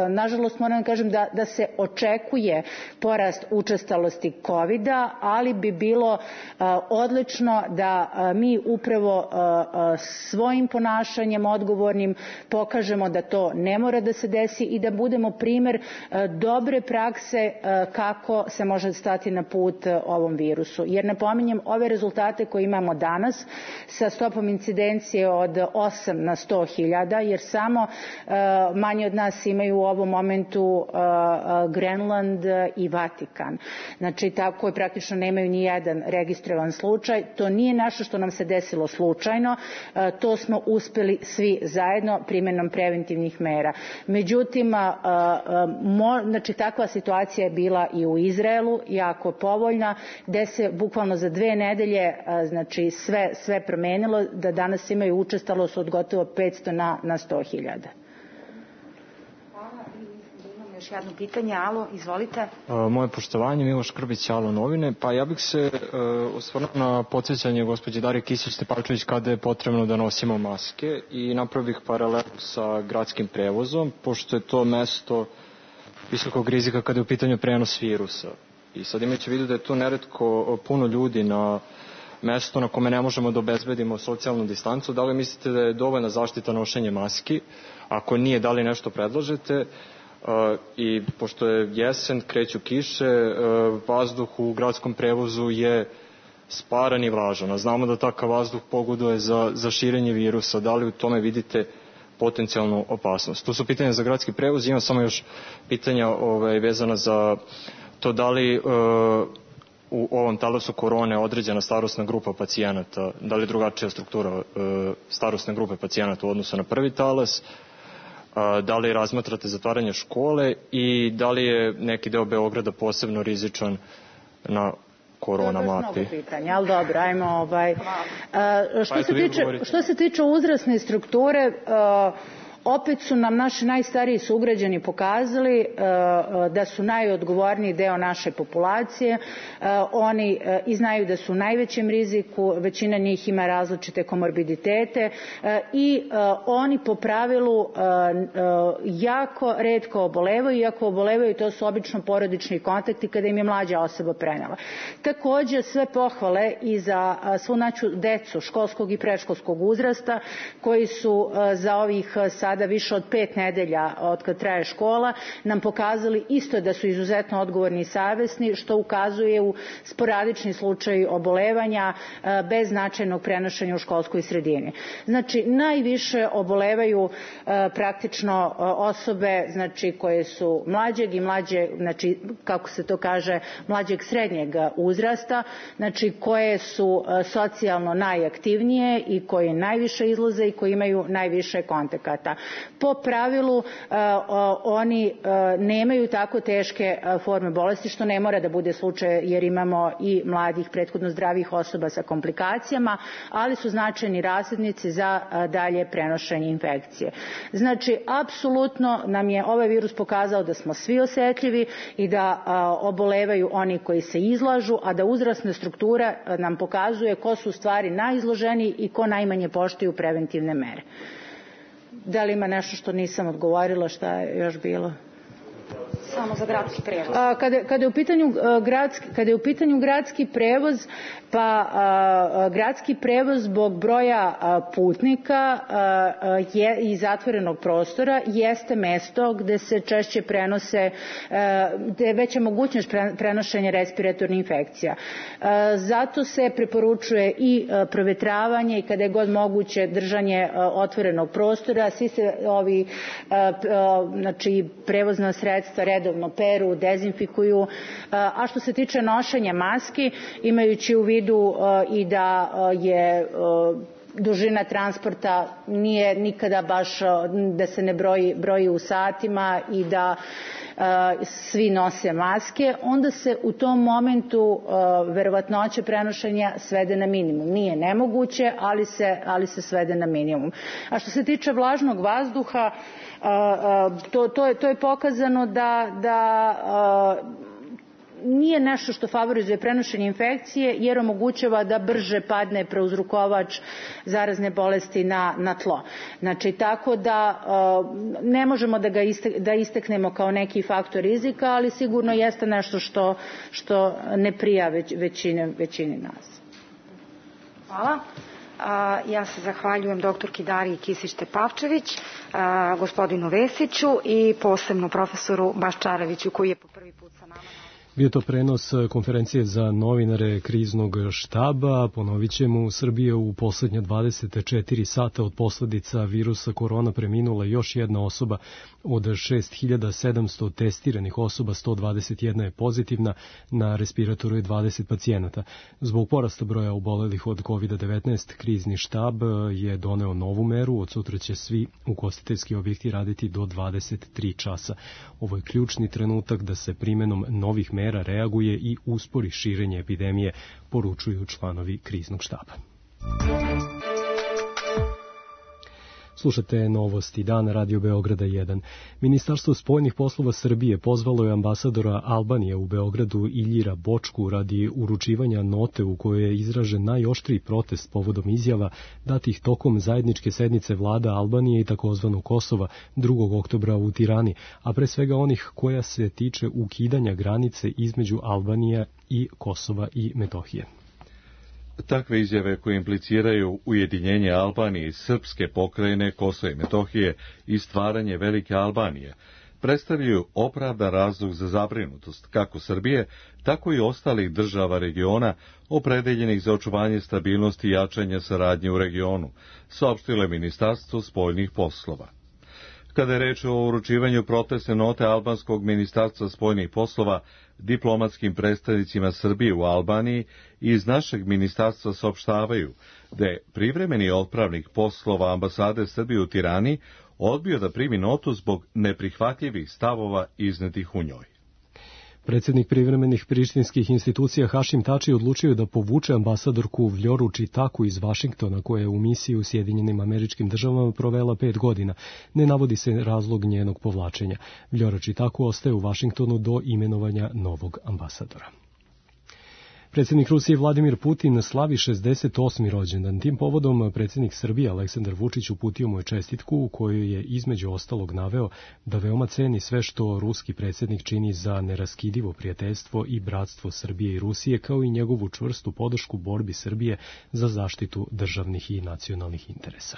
nažalost moram da kažem da, da se očekuje porast učestalosti kovida, ali bi bilo uh, odlično da uh, mi upravo uh, uh, svojim ponašanjem odgovornim pokažemo da to ne mora da se desi i da budemo primer uh, dobre prakse uh, kako se može stati na put uh, ovom virusu. Jer napominjem, ove rezultate koje imamo danas sa stopom incidencije od osam na sto hiljada, jer samo uh, manje od nas imaju u ovom momentu uh, uh, Grenland i Vatikan. Znači, tako je praktično nemaju ni jedan registrovan slučaj. To nije nešto što nam se desilo slučajno, uh, to smo uspeli svi zajedno primjenom preventivnih mera. Međutim, uh, uh, mo, znači, takva situacija je bila i u Izraelu, jako povoljna, gde se bukvalno za dve nedelje uh, znači, sve, sve promenilo, da danas imaju učestalost od gotovo petsto na, na sto hiljada. Još jedno pitanje, alo, izvolite. Uh, moje poštovanje, Miloš Krbić, Alo novine. Pa ja bih se uh, osvrnuo na podsjećanje gospođe Darije Kisić-Tepavčević kada je potrebno da nosimo maske i napravio bih paralelu sa gradskim prevozom, pošto je to mesto visokog rizika kada je u pitanju prenos virusa. I sad imajući u vidu da je tu neretko puno ljudi na mesto na kome ne možemo da obezbedimo socijalnu distancu, da li mislite da je dovoljna zaštita nošenje maski? Ako nije, da li nešto predlažete? Uh, i pošto je jesen, kreću kiše, uh, vazduh u gradskom prevozu je sparan i vlažan. A znamo da takav vazduh pogoduje za, za širenje virusa. Da li u tome vidite potencijalnu opasnost? To su pitanja za gradski prevoz. Imam samo još pitanja ovaj, vezana za to da li uh, u ovom talasu korone određena starosna grupa pacijenata, da li je drugačija struktura uh, starosne grupe pacijenata u odnosu na prvi talas, da li razmatrate zatvaranje škole i da li je neki deo Beograda posebno rizičan na korona mapi? To je baš mnogo pitanja, ali dobro, ajmo ovaj... Što se tiče, što se tiče uzrasne strukture, opet su nam naši najstariji sugrađani pokazali uh, da su najodgovorniji deo naše populacije. Uh, oni uh, i znaju da su u najvećem riziku, većina njih ima različite komorbiditete uh, i uh, oni po pravilu uh, uh, jako retko obolevaju, i ako obolevaju to su obično porodični kontakti kada im je mlađa osoba prenela. Takođe sve pohvale i za uh, svu našu decu školskog i predškolskog uzrasta koji su uh, za ovih uh, sada više od pet nedelja od kad traje škola nam pokazali isto da su izuzetno odgovorni i savesni, što ukazuje u sporadični slučaj obolevanja bez značajnog prenošenja u školskoj sredini. Znači, najviše obolevaju praktično osobe, znači, koje su mlađeg i mlađe, znači, kako se to kaže, mlađeg srednjeg uzrasta, znači, koje su socijalno najaktivnije i koje najviše izlaze i koji imaju najviše kontakata. Po pravilu oni nemaju tako teške forme bolesti, što ne mora da bude slučaj jer imamo i mladih prethodno zdravih osoba sa komplikacijama, ali su značajni razrednici za dalje prenošenje infekcije. Znači, apsolutno nam je ovaj virus pokazao da smo svi osetljivi i da obolevaju oni koji se izlažu, a da uzrasna struktura nam pokazuje ko su u stvari najizloženiji i ko najmanje poštuju preventivne mere. Da li ima nešto što nisam odgovorila, šta je još bilo? Samo za gradski prevoz. Kada, kada, je u pitanju gradski, kada je u pitanju gradski prevoz, pa a, gradski prevoz zbog broja a, putnika a, je, i zatvorenog prostora jeste mesto gde se češće prenose, a, gde je veća mogućnost prenošenja respiratornih infekcija. A, zato se preporučuje i a, provetravanje i kada je god moguće držanje a, otvorenog prostora. Svi se ovi a, a, znači, prevozna sredstva redovno peru, dezinfikuju, a što se tiče nošenja maski, imajući u vidu i da je dužina transporta nije nikada baš da se ne broji, broji u satima i da svi nose maske, onda se u tom momentu verovatnoća prenošenja svede na minimum. Nije nemoguće, ali se, ali se svede na minimum. A što se tiče vlažnog vazduha, to, to, je, to je pokazano da, da nije nešto što favorizuje prenošenje infekcije jer omogućava da brže padne prouzrokovač zarazne bolesti na, na tlo. Znači, tako da ne možemo da ga iste, da isteknemo kao neki faktor rizika, ali sigurno jeste nešto što, što ne prija već, većine, većini nas. Hvala. Ja se zahvaljujem doktorki Dariji Kisić-Tepavčević, gospodinu Vesiću i posebno profesoru Baščareviću koji je po prvi put sa nama. Bio to prenos konferencije za novinare kriznog štaba. Ponovit ćemo, u Srbiji u poslednja dvadeset četiri sata od posledica virusa korona preminula još jedna osoba. Od šest hiljada sedamsto testiranih osoba, sto dvadeset jedna je pozitivna, na respiratoru je dvadeset pacijenata. Zbog porasta broja obolelih od kovid devetnaest, krizni štab je doneo novu meru. Od sutra će svi ugostiteljski objekti raditi do dvadeset tri časa. Ovo je ključni trenutak da se primenom novih mera reaguje i uspori širenje epidemije, poručuju članovi kriznog štaba. Slušate Novosti dana, Radio Beograda jedan. Ministarstvo spoljnih poslova Srbije pozvalo je ambasadora Albanije u Beogradu Iljira Bočku radi uručivanja note u kojoj je izražen najoštriji protest povodom izjava datih tokom zajedničke sednice vlada Albanije i takozvanog Kosova drugog oktobra u Tirani, a pre svega onih koja se tiče ukidanja granice između Albanije i Kosova i Metohije. Takve izjave koje impliciraju ujedinjenje Albanije i srpske pokrajine Kosova i Metohije i stvaranje Velike Albanije predstavljaju opravdan razlog za zabrinutost kako Srbije, tako i ostalih država regiona opredeljenih za očuvanje stabilnosti i jačanja saradnje u regionu, saopštilo je Ministarstvo spoljnih poslova. Kada je reč o uručivanju protestne note albanskog ministarstva spoljnih poslova diplomatskim predstavnicima Srbije u Albaniji, iz našeg ministarstva saopštavaju da je privremeni otpravnik poslova ambasade Srbije u Tirani odbio da primi notu zbog neprihvatljivih stavova iznetih u njoj. Predsjednik privremenih prištinskih institucija Hašim Tači odlučio da povuče ambasadorku Vljoru Čitaku iz Vašingtona, koja je u misiji u Sjedinjenim Američkim Državama provela pet godina. Ne navodi se razlog njenog povlačenja. Vljora Čitaku ostaje u Vašingtonu do imenovanja novog ambasadora. Predsjednik Rusije Vladimir Putin slavi šezdeset osmi rođendan. Tim povodom predsjednik Srbije Aleksandar Vučić uputio mu je čestitku u kojoj je između ostalog naveo da veoma ceni sve što ruski predsjednik čini za neraskidivo prijateljstvo i bratstvo Srbije i Rusije, kao i njegovu čvrstu podršku borbi Srbije za zaštitu državnih i nacionalnih interesa.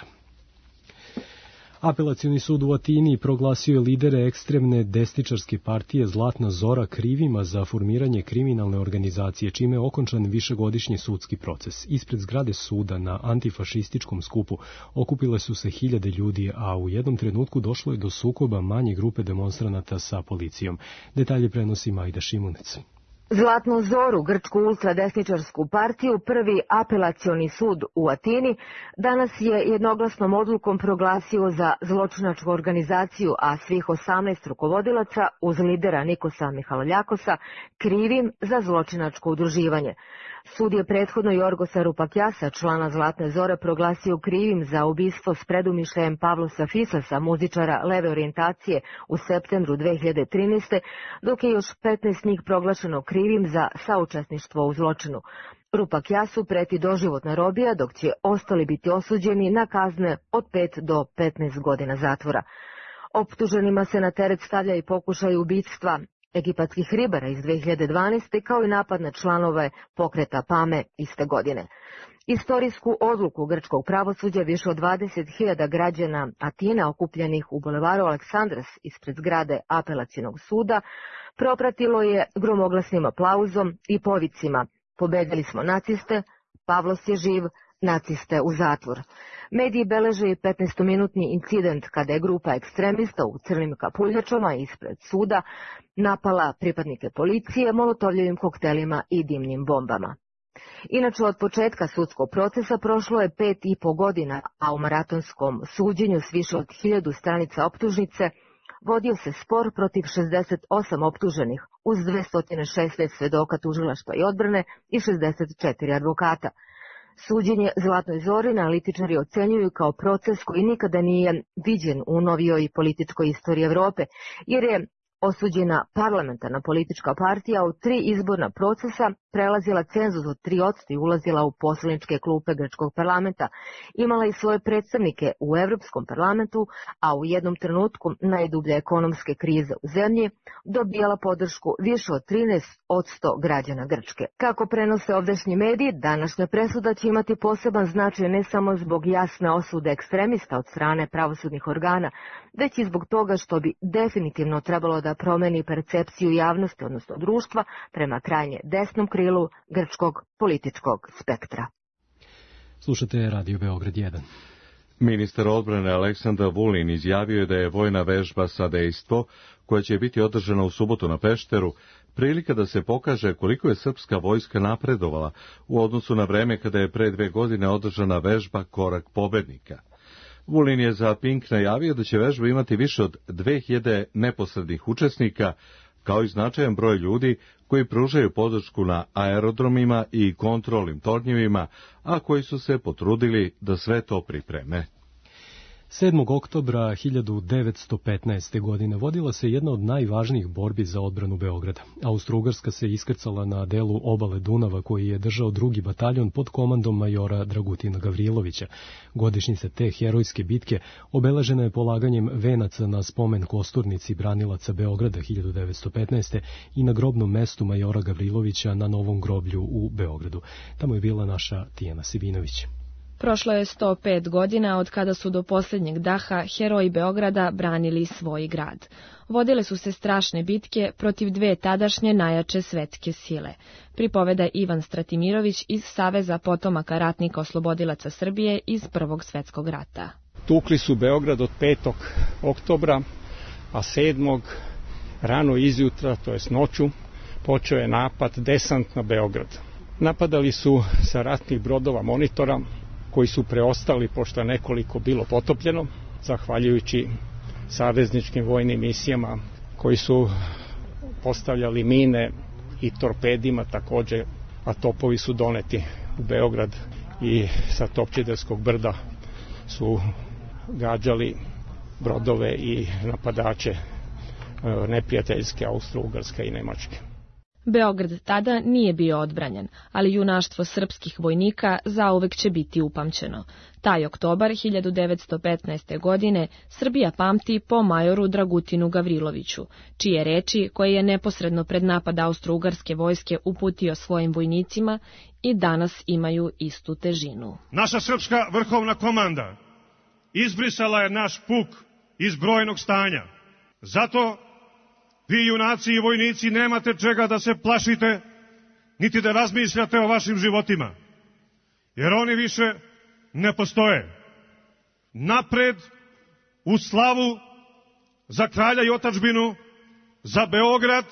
Apelacioni sud u Atini proglasio je lidere ekstremne desničarske partije Zlatna Zora krivima za formiranje kriminalne organizacije, čime je okončan višegodišnji sudski proces. Ispred zgrade suda na antifašističkom skupu okupile su se hiljade ljudi, a u jednom trenutku došlo je do sukoba manje grupe demonstranata sa policijom. Detalje prenosi Majda Šimunec. Zlatnu zoru, grčku ultradesničarsku partiju, prvi apelacioni sud u Atini, danas je jednoglasnom odlukom proglasio za zločinačku organizaciju, a svih osamnaest rukovodilaca, uz lidera Nikosa Mihaloljakosa, krivim za zločinačko udruživanje. Sud je prethodno Jorgosa Rupakjasa, člana Zlatne zore, proglasio krivim za ubistvo s predumišljajem Pavlosa Fisasa, muzičara leve orijentacije, u septembru dve hiljade trinaeste. dok je još petnaest njih proglašeno krivim za saučesništvo u zločinu. Rupakjasu preti doživotna robija, dok će ostali biti osuđeni na kazne od pet do petnaest godina zatvora. Optuženima se na teret stavlja i pokušaj ubistva egipatskih ribara iz dve hiljade dvanaeste. kao i napad na članove pokreta Pame iste godine. Istorijsku odluku grčkog pravosuđa više od dvadeset hiljada građana Atine okupljenih u bulevaru Aleksandras ispred zgrade apelacionog suda propratilo je gromoglasnim aplauzom i povicima: pobedili smo naciste, Pavlos je živ, naciste u zatvor. Mediji beleže i petnaestominutni incident kada je grupa ekstremista u crnim kapuljačama ispred suda napala pripadnike policije molotovljevim koktelima i dimnim bombama. Inače, od početka sudskog procesa prošlo je pet i po godina, a u maratonskom suđenju s više od hiljadu stranica optužnice vodio se spor protiv šezdeset osam optuženih uz dvesta šesnaest svedoka tužilaštva i odbrane i šezdeset četiri advokata. Suđenje Zlatnoj zori analitičari ocenjuju kao proces koji nikada nije viđen u novijoj političkoj istoriji Evrope, jer je osuđena parlamentarna politička partija u tri izborna procesa prelazila cenzus od tri posto i ulazila u poslaničke klupe grčkog parlamenta, imala i svoje predstavnike u Evropskom parlamentu, a u jednom trenutku najdublje ekonomske krize u zemlji dobijala podršku više od trinaest posto građana Grčke. Kako prenose ovdašnji mediji, današnja presuda će imati poseban značaj ne samo zbog jasne osude ekstremista od strane pravosudnih organa, već i zbog toga što bi definitivno trebalo da promeni percepciju javnosti, odnosno društva, prema krajnje desnom krilu grčkog političkog spektra. Slušate Radio Beograd jedan. Ministar odbrane Aleksandar Vulin izjavio je da je vojna vežba Sadejstvo, koja će biti održana u subotu na Pešteru, prilika da se pokaže koliko je srpska vojska napredovala u odnosu na vreme kada je pre dve godine održana vežba Korak pobednika. Vulin je za Pink najavio da će vežba imati više od dve hiljade neposrednih učesnika, kao i značajan broj ljudi koji pružaju podršku na aerodromima i kontrolnim tornjevima, a koji su se potrudili da sve to pripreme. sedmog oktobra hiljadu devetsto petnaeste. godine vodila se jedna od najvažnijih borbi za odbranu Beograda. Austro-Ugarska se iskrcala na delu obale Dunava koji je držao drugi bataljon pod komandom majora Dragutina Gavrilovića. Godišnjica te herojske bitke obeležena je polaganjem venaca na spomen kosturnici branilaca Beograda hiljadu devetsto petnaeste. i na grobnom mestu majora Gavrilovića na Novom groblju u Beogradu. Tamo je bila naša Tijana Sivinović. Prošlo je sto pet godina od kada su do posljednjeg daha heroji Beograda branili svoj grad. Vodile su se strašne bitke protiv dve tadašnje najjače svetske sile. Pripoveda Ivan Stratimirović iz Saveza potomaka ratnika oslobodilaca Srbije iz Prvog svetskog rata. Tukli su Beograd od petog oktobra, a sedmog rano izjutra, to jest noću, počeo je napad desant na Beograd. Napadali su sa ratnih brodova Monitora, koji su preostali pošto je nekoliko bilo potopljeno, zahvaljujući savezničkim vojnim misijama koji su postavljali mine i torpedima takođe, a topovi su doneti u Beograd i sa Topčiderskog brda su gađali brodove i napadače neprijateljske Austro-Ugarske i Nemačke. Beograd tada nije bio odbranjen, ali junaštvo srpskih vojnika zauvek će biti upamćeno. Taj oktobar hiljadu devetsto petnaeste. godine Srbija pamti po majoru Dragutinu Gavriloviću, čije reči, koje je neposredno pred napad Austro-Ugarske vojske uputio svojim vojnicima, i danas imaju istu težinu. Naša srpska vrhovna komanda izbrisala je naš puk iz brojnog stanja. Zato vi, junaci i vojnici, nemate čega da se plašite, niti da razmišljate o vašim životima, jer oni više ne postoje. Napred, u slavu, za kralja i otadžbinu, za Beograd,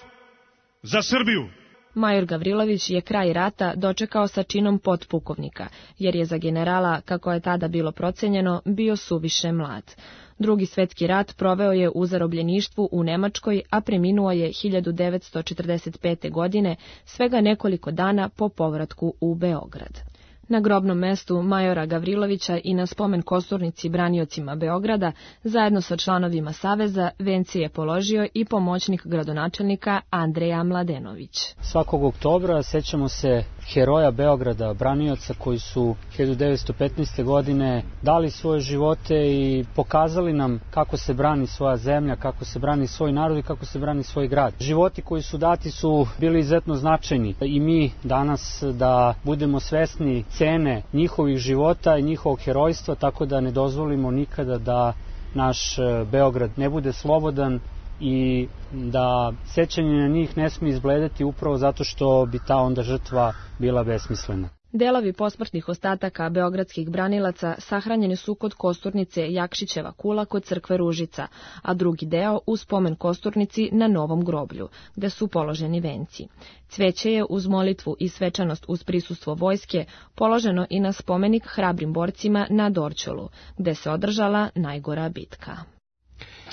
za Srbiju. Major Gavrilović je kraj rata dočekao sa činom potpukovnika, jer je za generala, kako je tada bilo procenjeno, bio suviše mlad. Drugi svetski rat proveo je u zarobljeništvu u Nemačkoj, a preminuo je hiljadu devetsto četrdeset pete. godine, svega nekoliko dana po povratku u Beograd. Na grobnom mestu majora Gavrilovića i na spomen kosturnici braniocima Beograda, zajedno sa članovima Saveza, venci je položio i pomoćnik gradonačelnika Andreja Mladenović. Svakog oktobra sećamo se heroja Beograda, branioca koji su hiljadu devetsto petnaeste. godine dali svoje živote i pokazali nam kako se brani svoja zemlja, kako se brani svoj narod i kako se brani svoj grad. Životi koji su dati su bili izuzetno značajni i mi danas da budemo svesni cene njihovih života i njihovog herojstva, tako da ne dozvolimo nikada da naš Beograd ne bude slobodan i da sećanje na njih ne smije izbledeti upravo zato što bi ta onda žrtva bila besmislena. Delovi posmrtnih ostataka beogradskih branilaca sahranjeni su kod kosturnice Jakšićeva kula kod crkve Ružica, a drugi deo u spomen kosturnici na Novom groblju, gde su položeni venci. Cveće je uz molitvu i svečanost uz prisustvo vojske položeno i na spomenik hrabrim borcima na Dorćolu, gde se održala najgora bitka.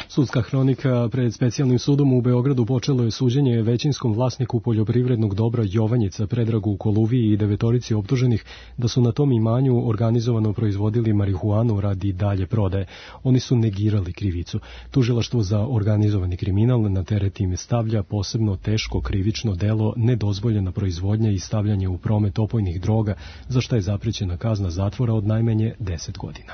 Sudska hronika pred specijalnim sudom u Beogradu počelo je suđenje većinskom vlasniku poljoprivrednog dobra Jovanjica Predragu Koluviji i devetorici optuženih da su na tom imanju organizovano proizvodili marihuanu radi dalje prodaje. Oni su negirali krivicu. Tužilaštvo za organizovani kriminal na teret im stavlja posebno teško krivično delo nedozvoljena proizvodnja i stavljanje u promet opojnih droga, za šta je zaprećena kazna zatvora od najmanje deset godina.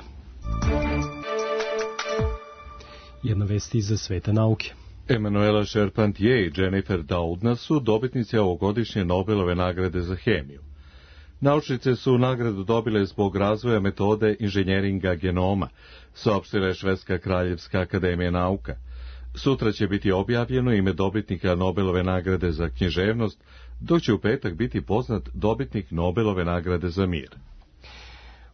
Jedna vest iz sveta nauke. Emanuela Charpentier i Jennifer Doudna su dobitnice ovogodišnje Nobelove nagrade za hemiju. Naučnice su nagradu dobile zbog razvoja metode inženjeringa genoma, saopštila je Švedska kraljevska akademija nauka. Sutra će biti objavljeno ime dobitnika Nobelove nagrade za književnost, dok će u petak biti poznat dobitnik Nobelove nagrade za mir.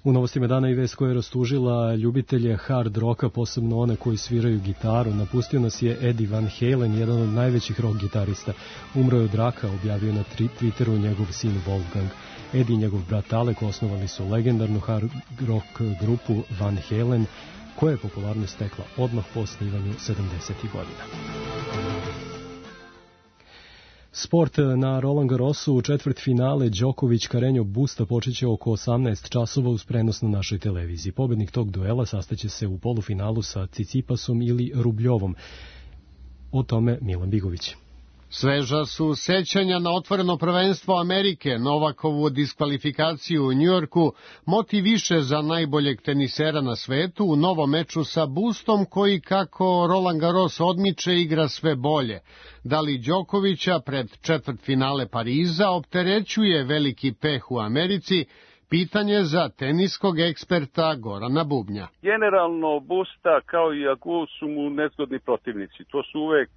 U novostima dana i vest koja je rastužila ljubitelje hard roka, posebno one koji sviraju gitaru. Napustio nas je Eddie Van Halen, jedan od najvećih rock gitarista. Umro je od raka, objavio na Twitteru njegov sin Wolfgang. Eddie i njegov brat Alec osnovali su legendarnu hard rock grupu Van Halen, koja je popularnost stekla odmah po osnivanju sedamdesetih godina. Sport na Roland Garrosu u četvrt finale Đoković Carreño Busta počeće oko osamnaest časova uz prenos na našoj televiziji. Pobednik tog duela sastaće se u polufinalu sa Cicipasom ili Rubljovom. O tome Milan Bigović. Sveža su sećanja na otvoreno prvenstvo Amerike, Novakovu diskvalifikaciju u Njujorku, motiviše za najboljeg tenisera na svetu u novom meču sa Bustom koji, kako Roland Garros odmiče, igra sve bolje. Da li Đokovića pred četvrtfinale Pariza opterećuje veliki peh u Americi? Pitanje za teniskog eksperta Gorana Bubnja. Generalno Busta kao i Agu su mu nezgodni protivnici. To su uvek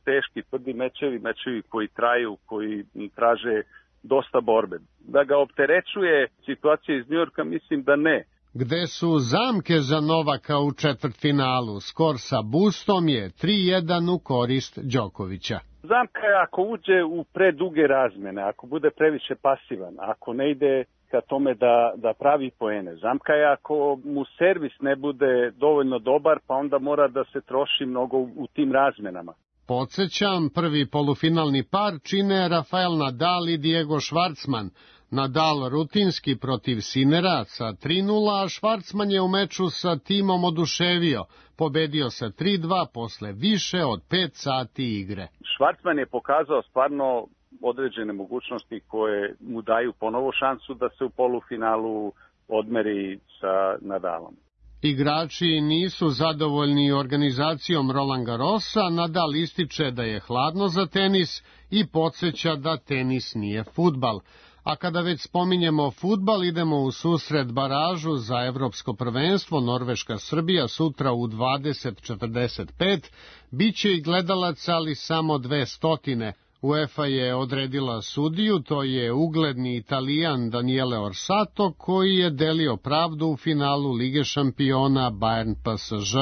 teški, tvrdi mečevi, mečevi koji traju, koji traže dosta borbe. Da ga opterećuje situacija iz Njujorka, mislim da ne. Gde su zamke za Novaka u četvrtfinalu? Skor sa Bustom je tri jedan u korist Đokovića. Zamka je ako uđe u preduge razmene, ako bude previše pasivan, ako ne ide ka tome da, da pravi poene. Zamka je ako mu servis ne bude dovoljno dobar, pa onda mora da se troši mnogo u tim razmenama. Podsećam, prvi polufinalni par čine Rafael Nadal i Diego Schwartzman. Nadal rutinski protiv Sinera sa tri nula, a Schwartzman je u meču sa timom oduševio. Pobedio sa tri dva posle više od pet sati igre. Schwartzman je pokazao stvarno određene mogućnosti koje mu daju ponovo šansu da se u polufinalu odmeri sa Nadalom. Igrači nisu zadovoljni organizacijom Roland Garrosa, Nadal ističe da je hladno za tenis i podsjeća da tenis nije fudbal. A kada već spominjemo fudbal, idemo u susret baražu za evropsko prvenstvo Norveška-Srbija sutra u dvadeset četrdeset pet. Biće i gledalaca, ali samo dve stotine. UEFA je odredila sudiju, to je ugledni Italijan Daniele Orsato, koji je delio pravdu u finalu Lige šampiona Bayern P S Ž.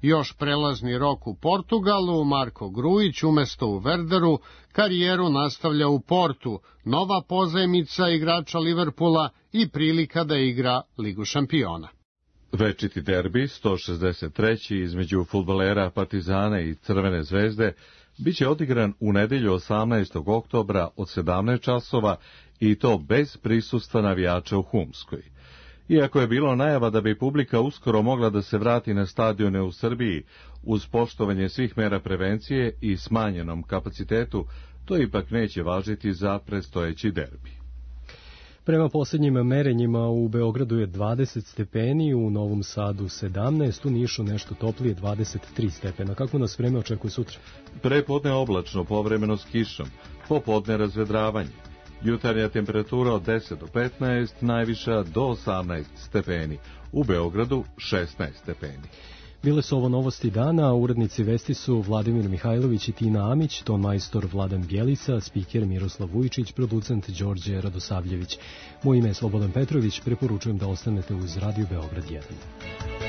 Još prelazni rok u Portugalu, Marko Grujić umesto u Werderu karijeru nastavlja u Portu, nova pozajmica igrača Liverpoola i prilika da igra Ligu šampiona. Večiti derbi, sto šezdeset treći između fudbalera Partizana i Crvene zvezde, biće odigran u nedelju osamnaestog oktobra od sedamnaest časova i to bez prisustva navijača u Humskoj. Iako je bilo najava da bi publika uskoro mogla da se vrati na stadione u Srbiji uz poštovanje svih mera prevencije i smanjenom kapacitetu, to ipak neće važiti za predstojeći derbi. Prema posljednjim merenjima u Beogradu je dvadeset stepeni, u Novom Sadu sedamnaest, u Nišu nešto toplije dvadeset tri stepena. Kako nas vreme očekuje sutra? Prepodne oblačno, povremeno s kišom, popodne razvedravanje. Jutarnja temperatura od deset do petnaest, najviša do osamnaest stepeni. U Beogradu šesnaest stepeni. Bile su ovo novosti dana, urednici vesti su Vladimir Mihajlović i Tina Amić, ton majstor Vladan Bjelica, spiker Miroslav Vujičić, producent Đorđe Radosavljević. Moje ime je Slobodan Petrović, preporučujem da ostanete uz Radio Beograd jedan.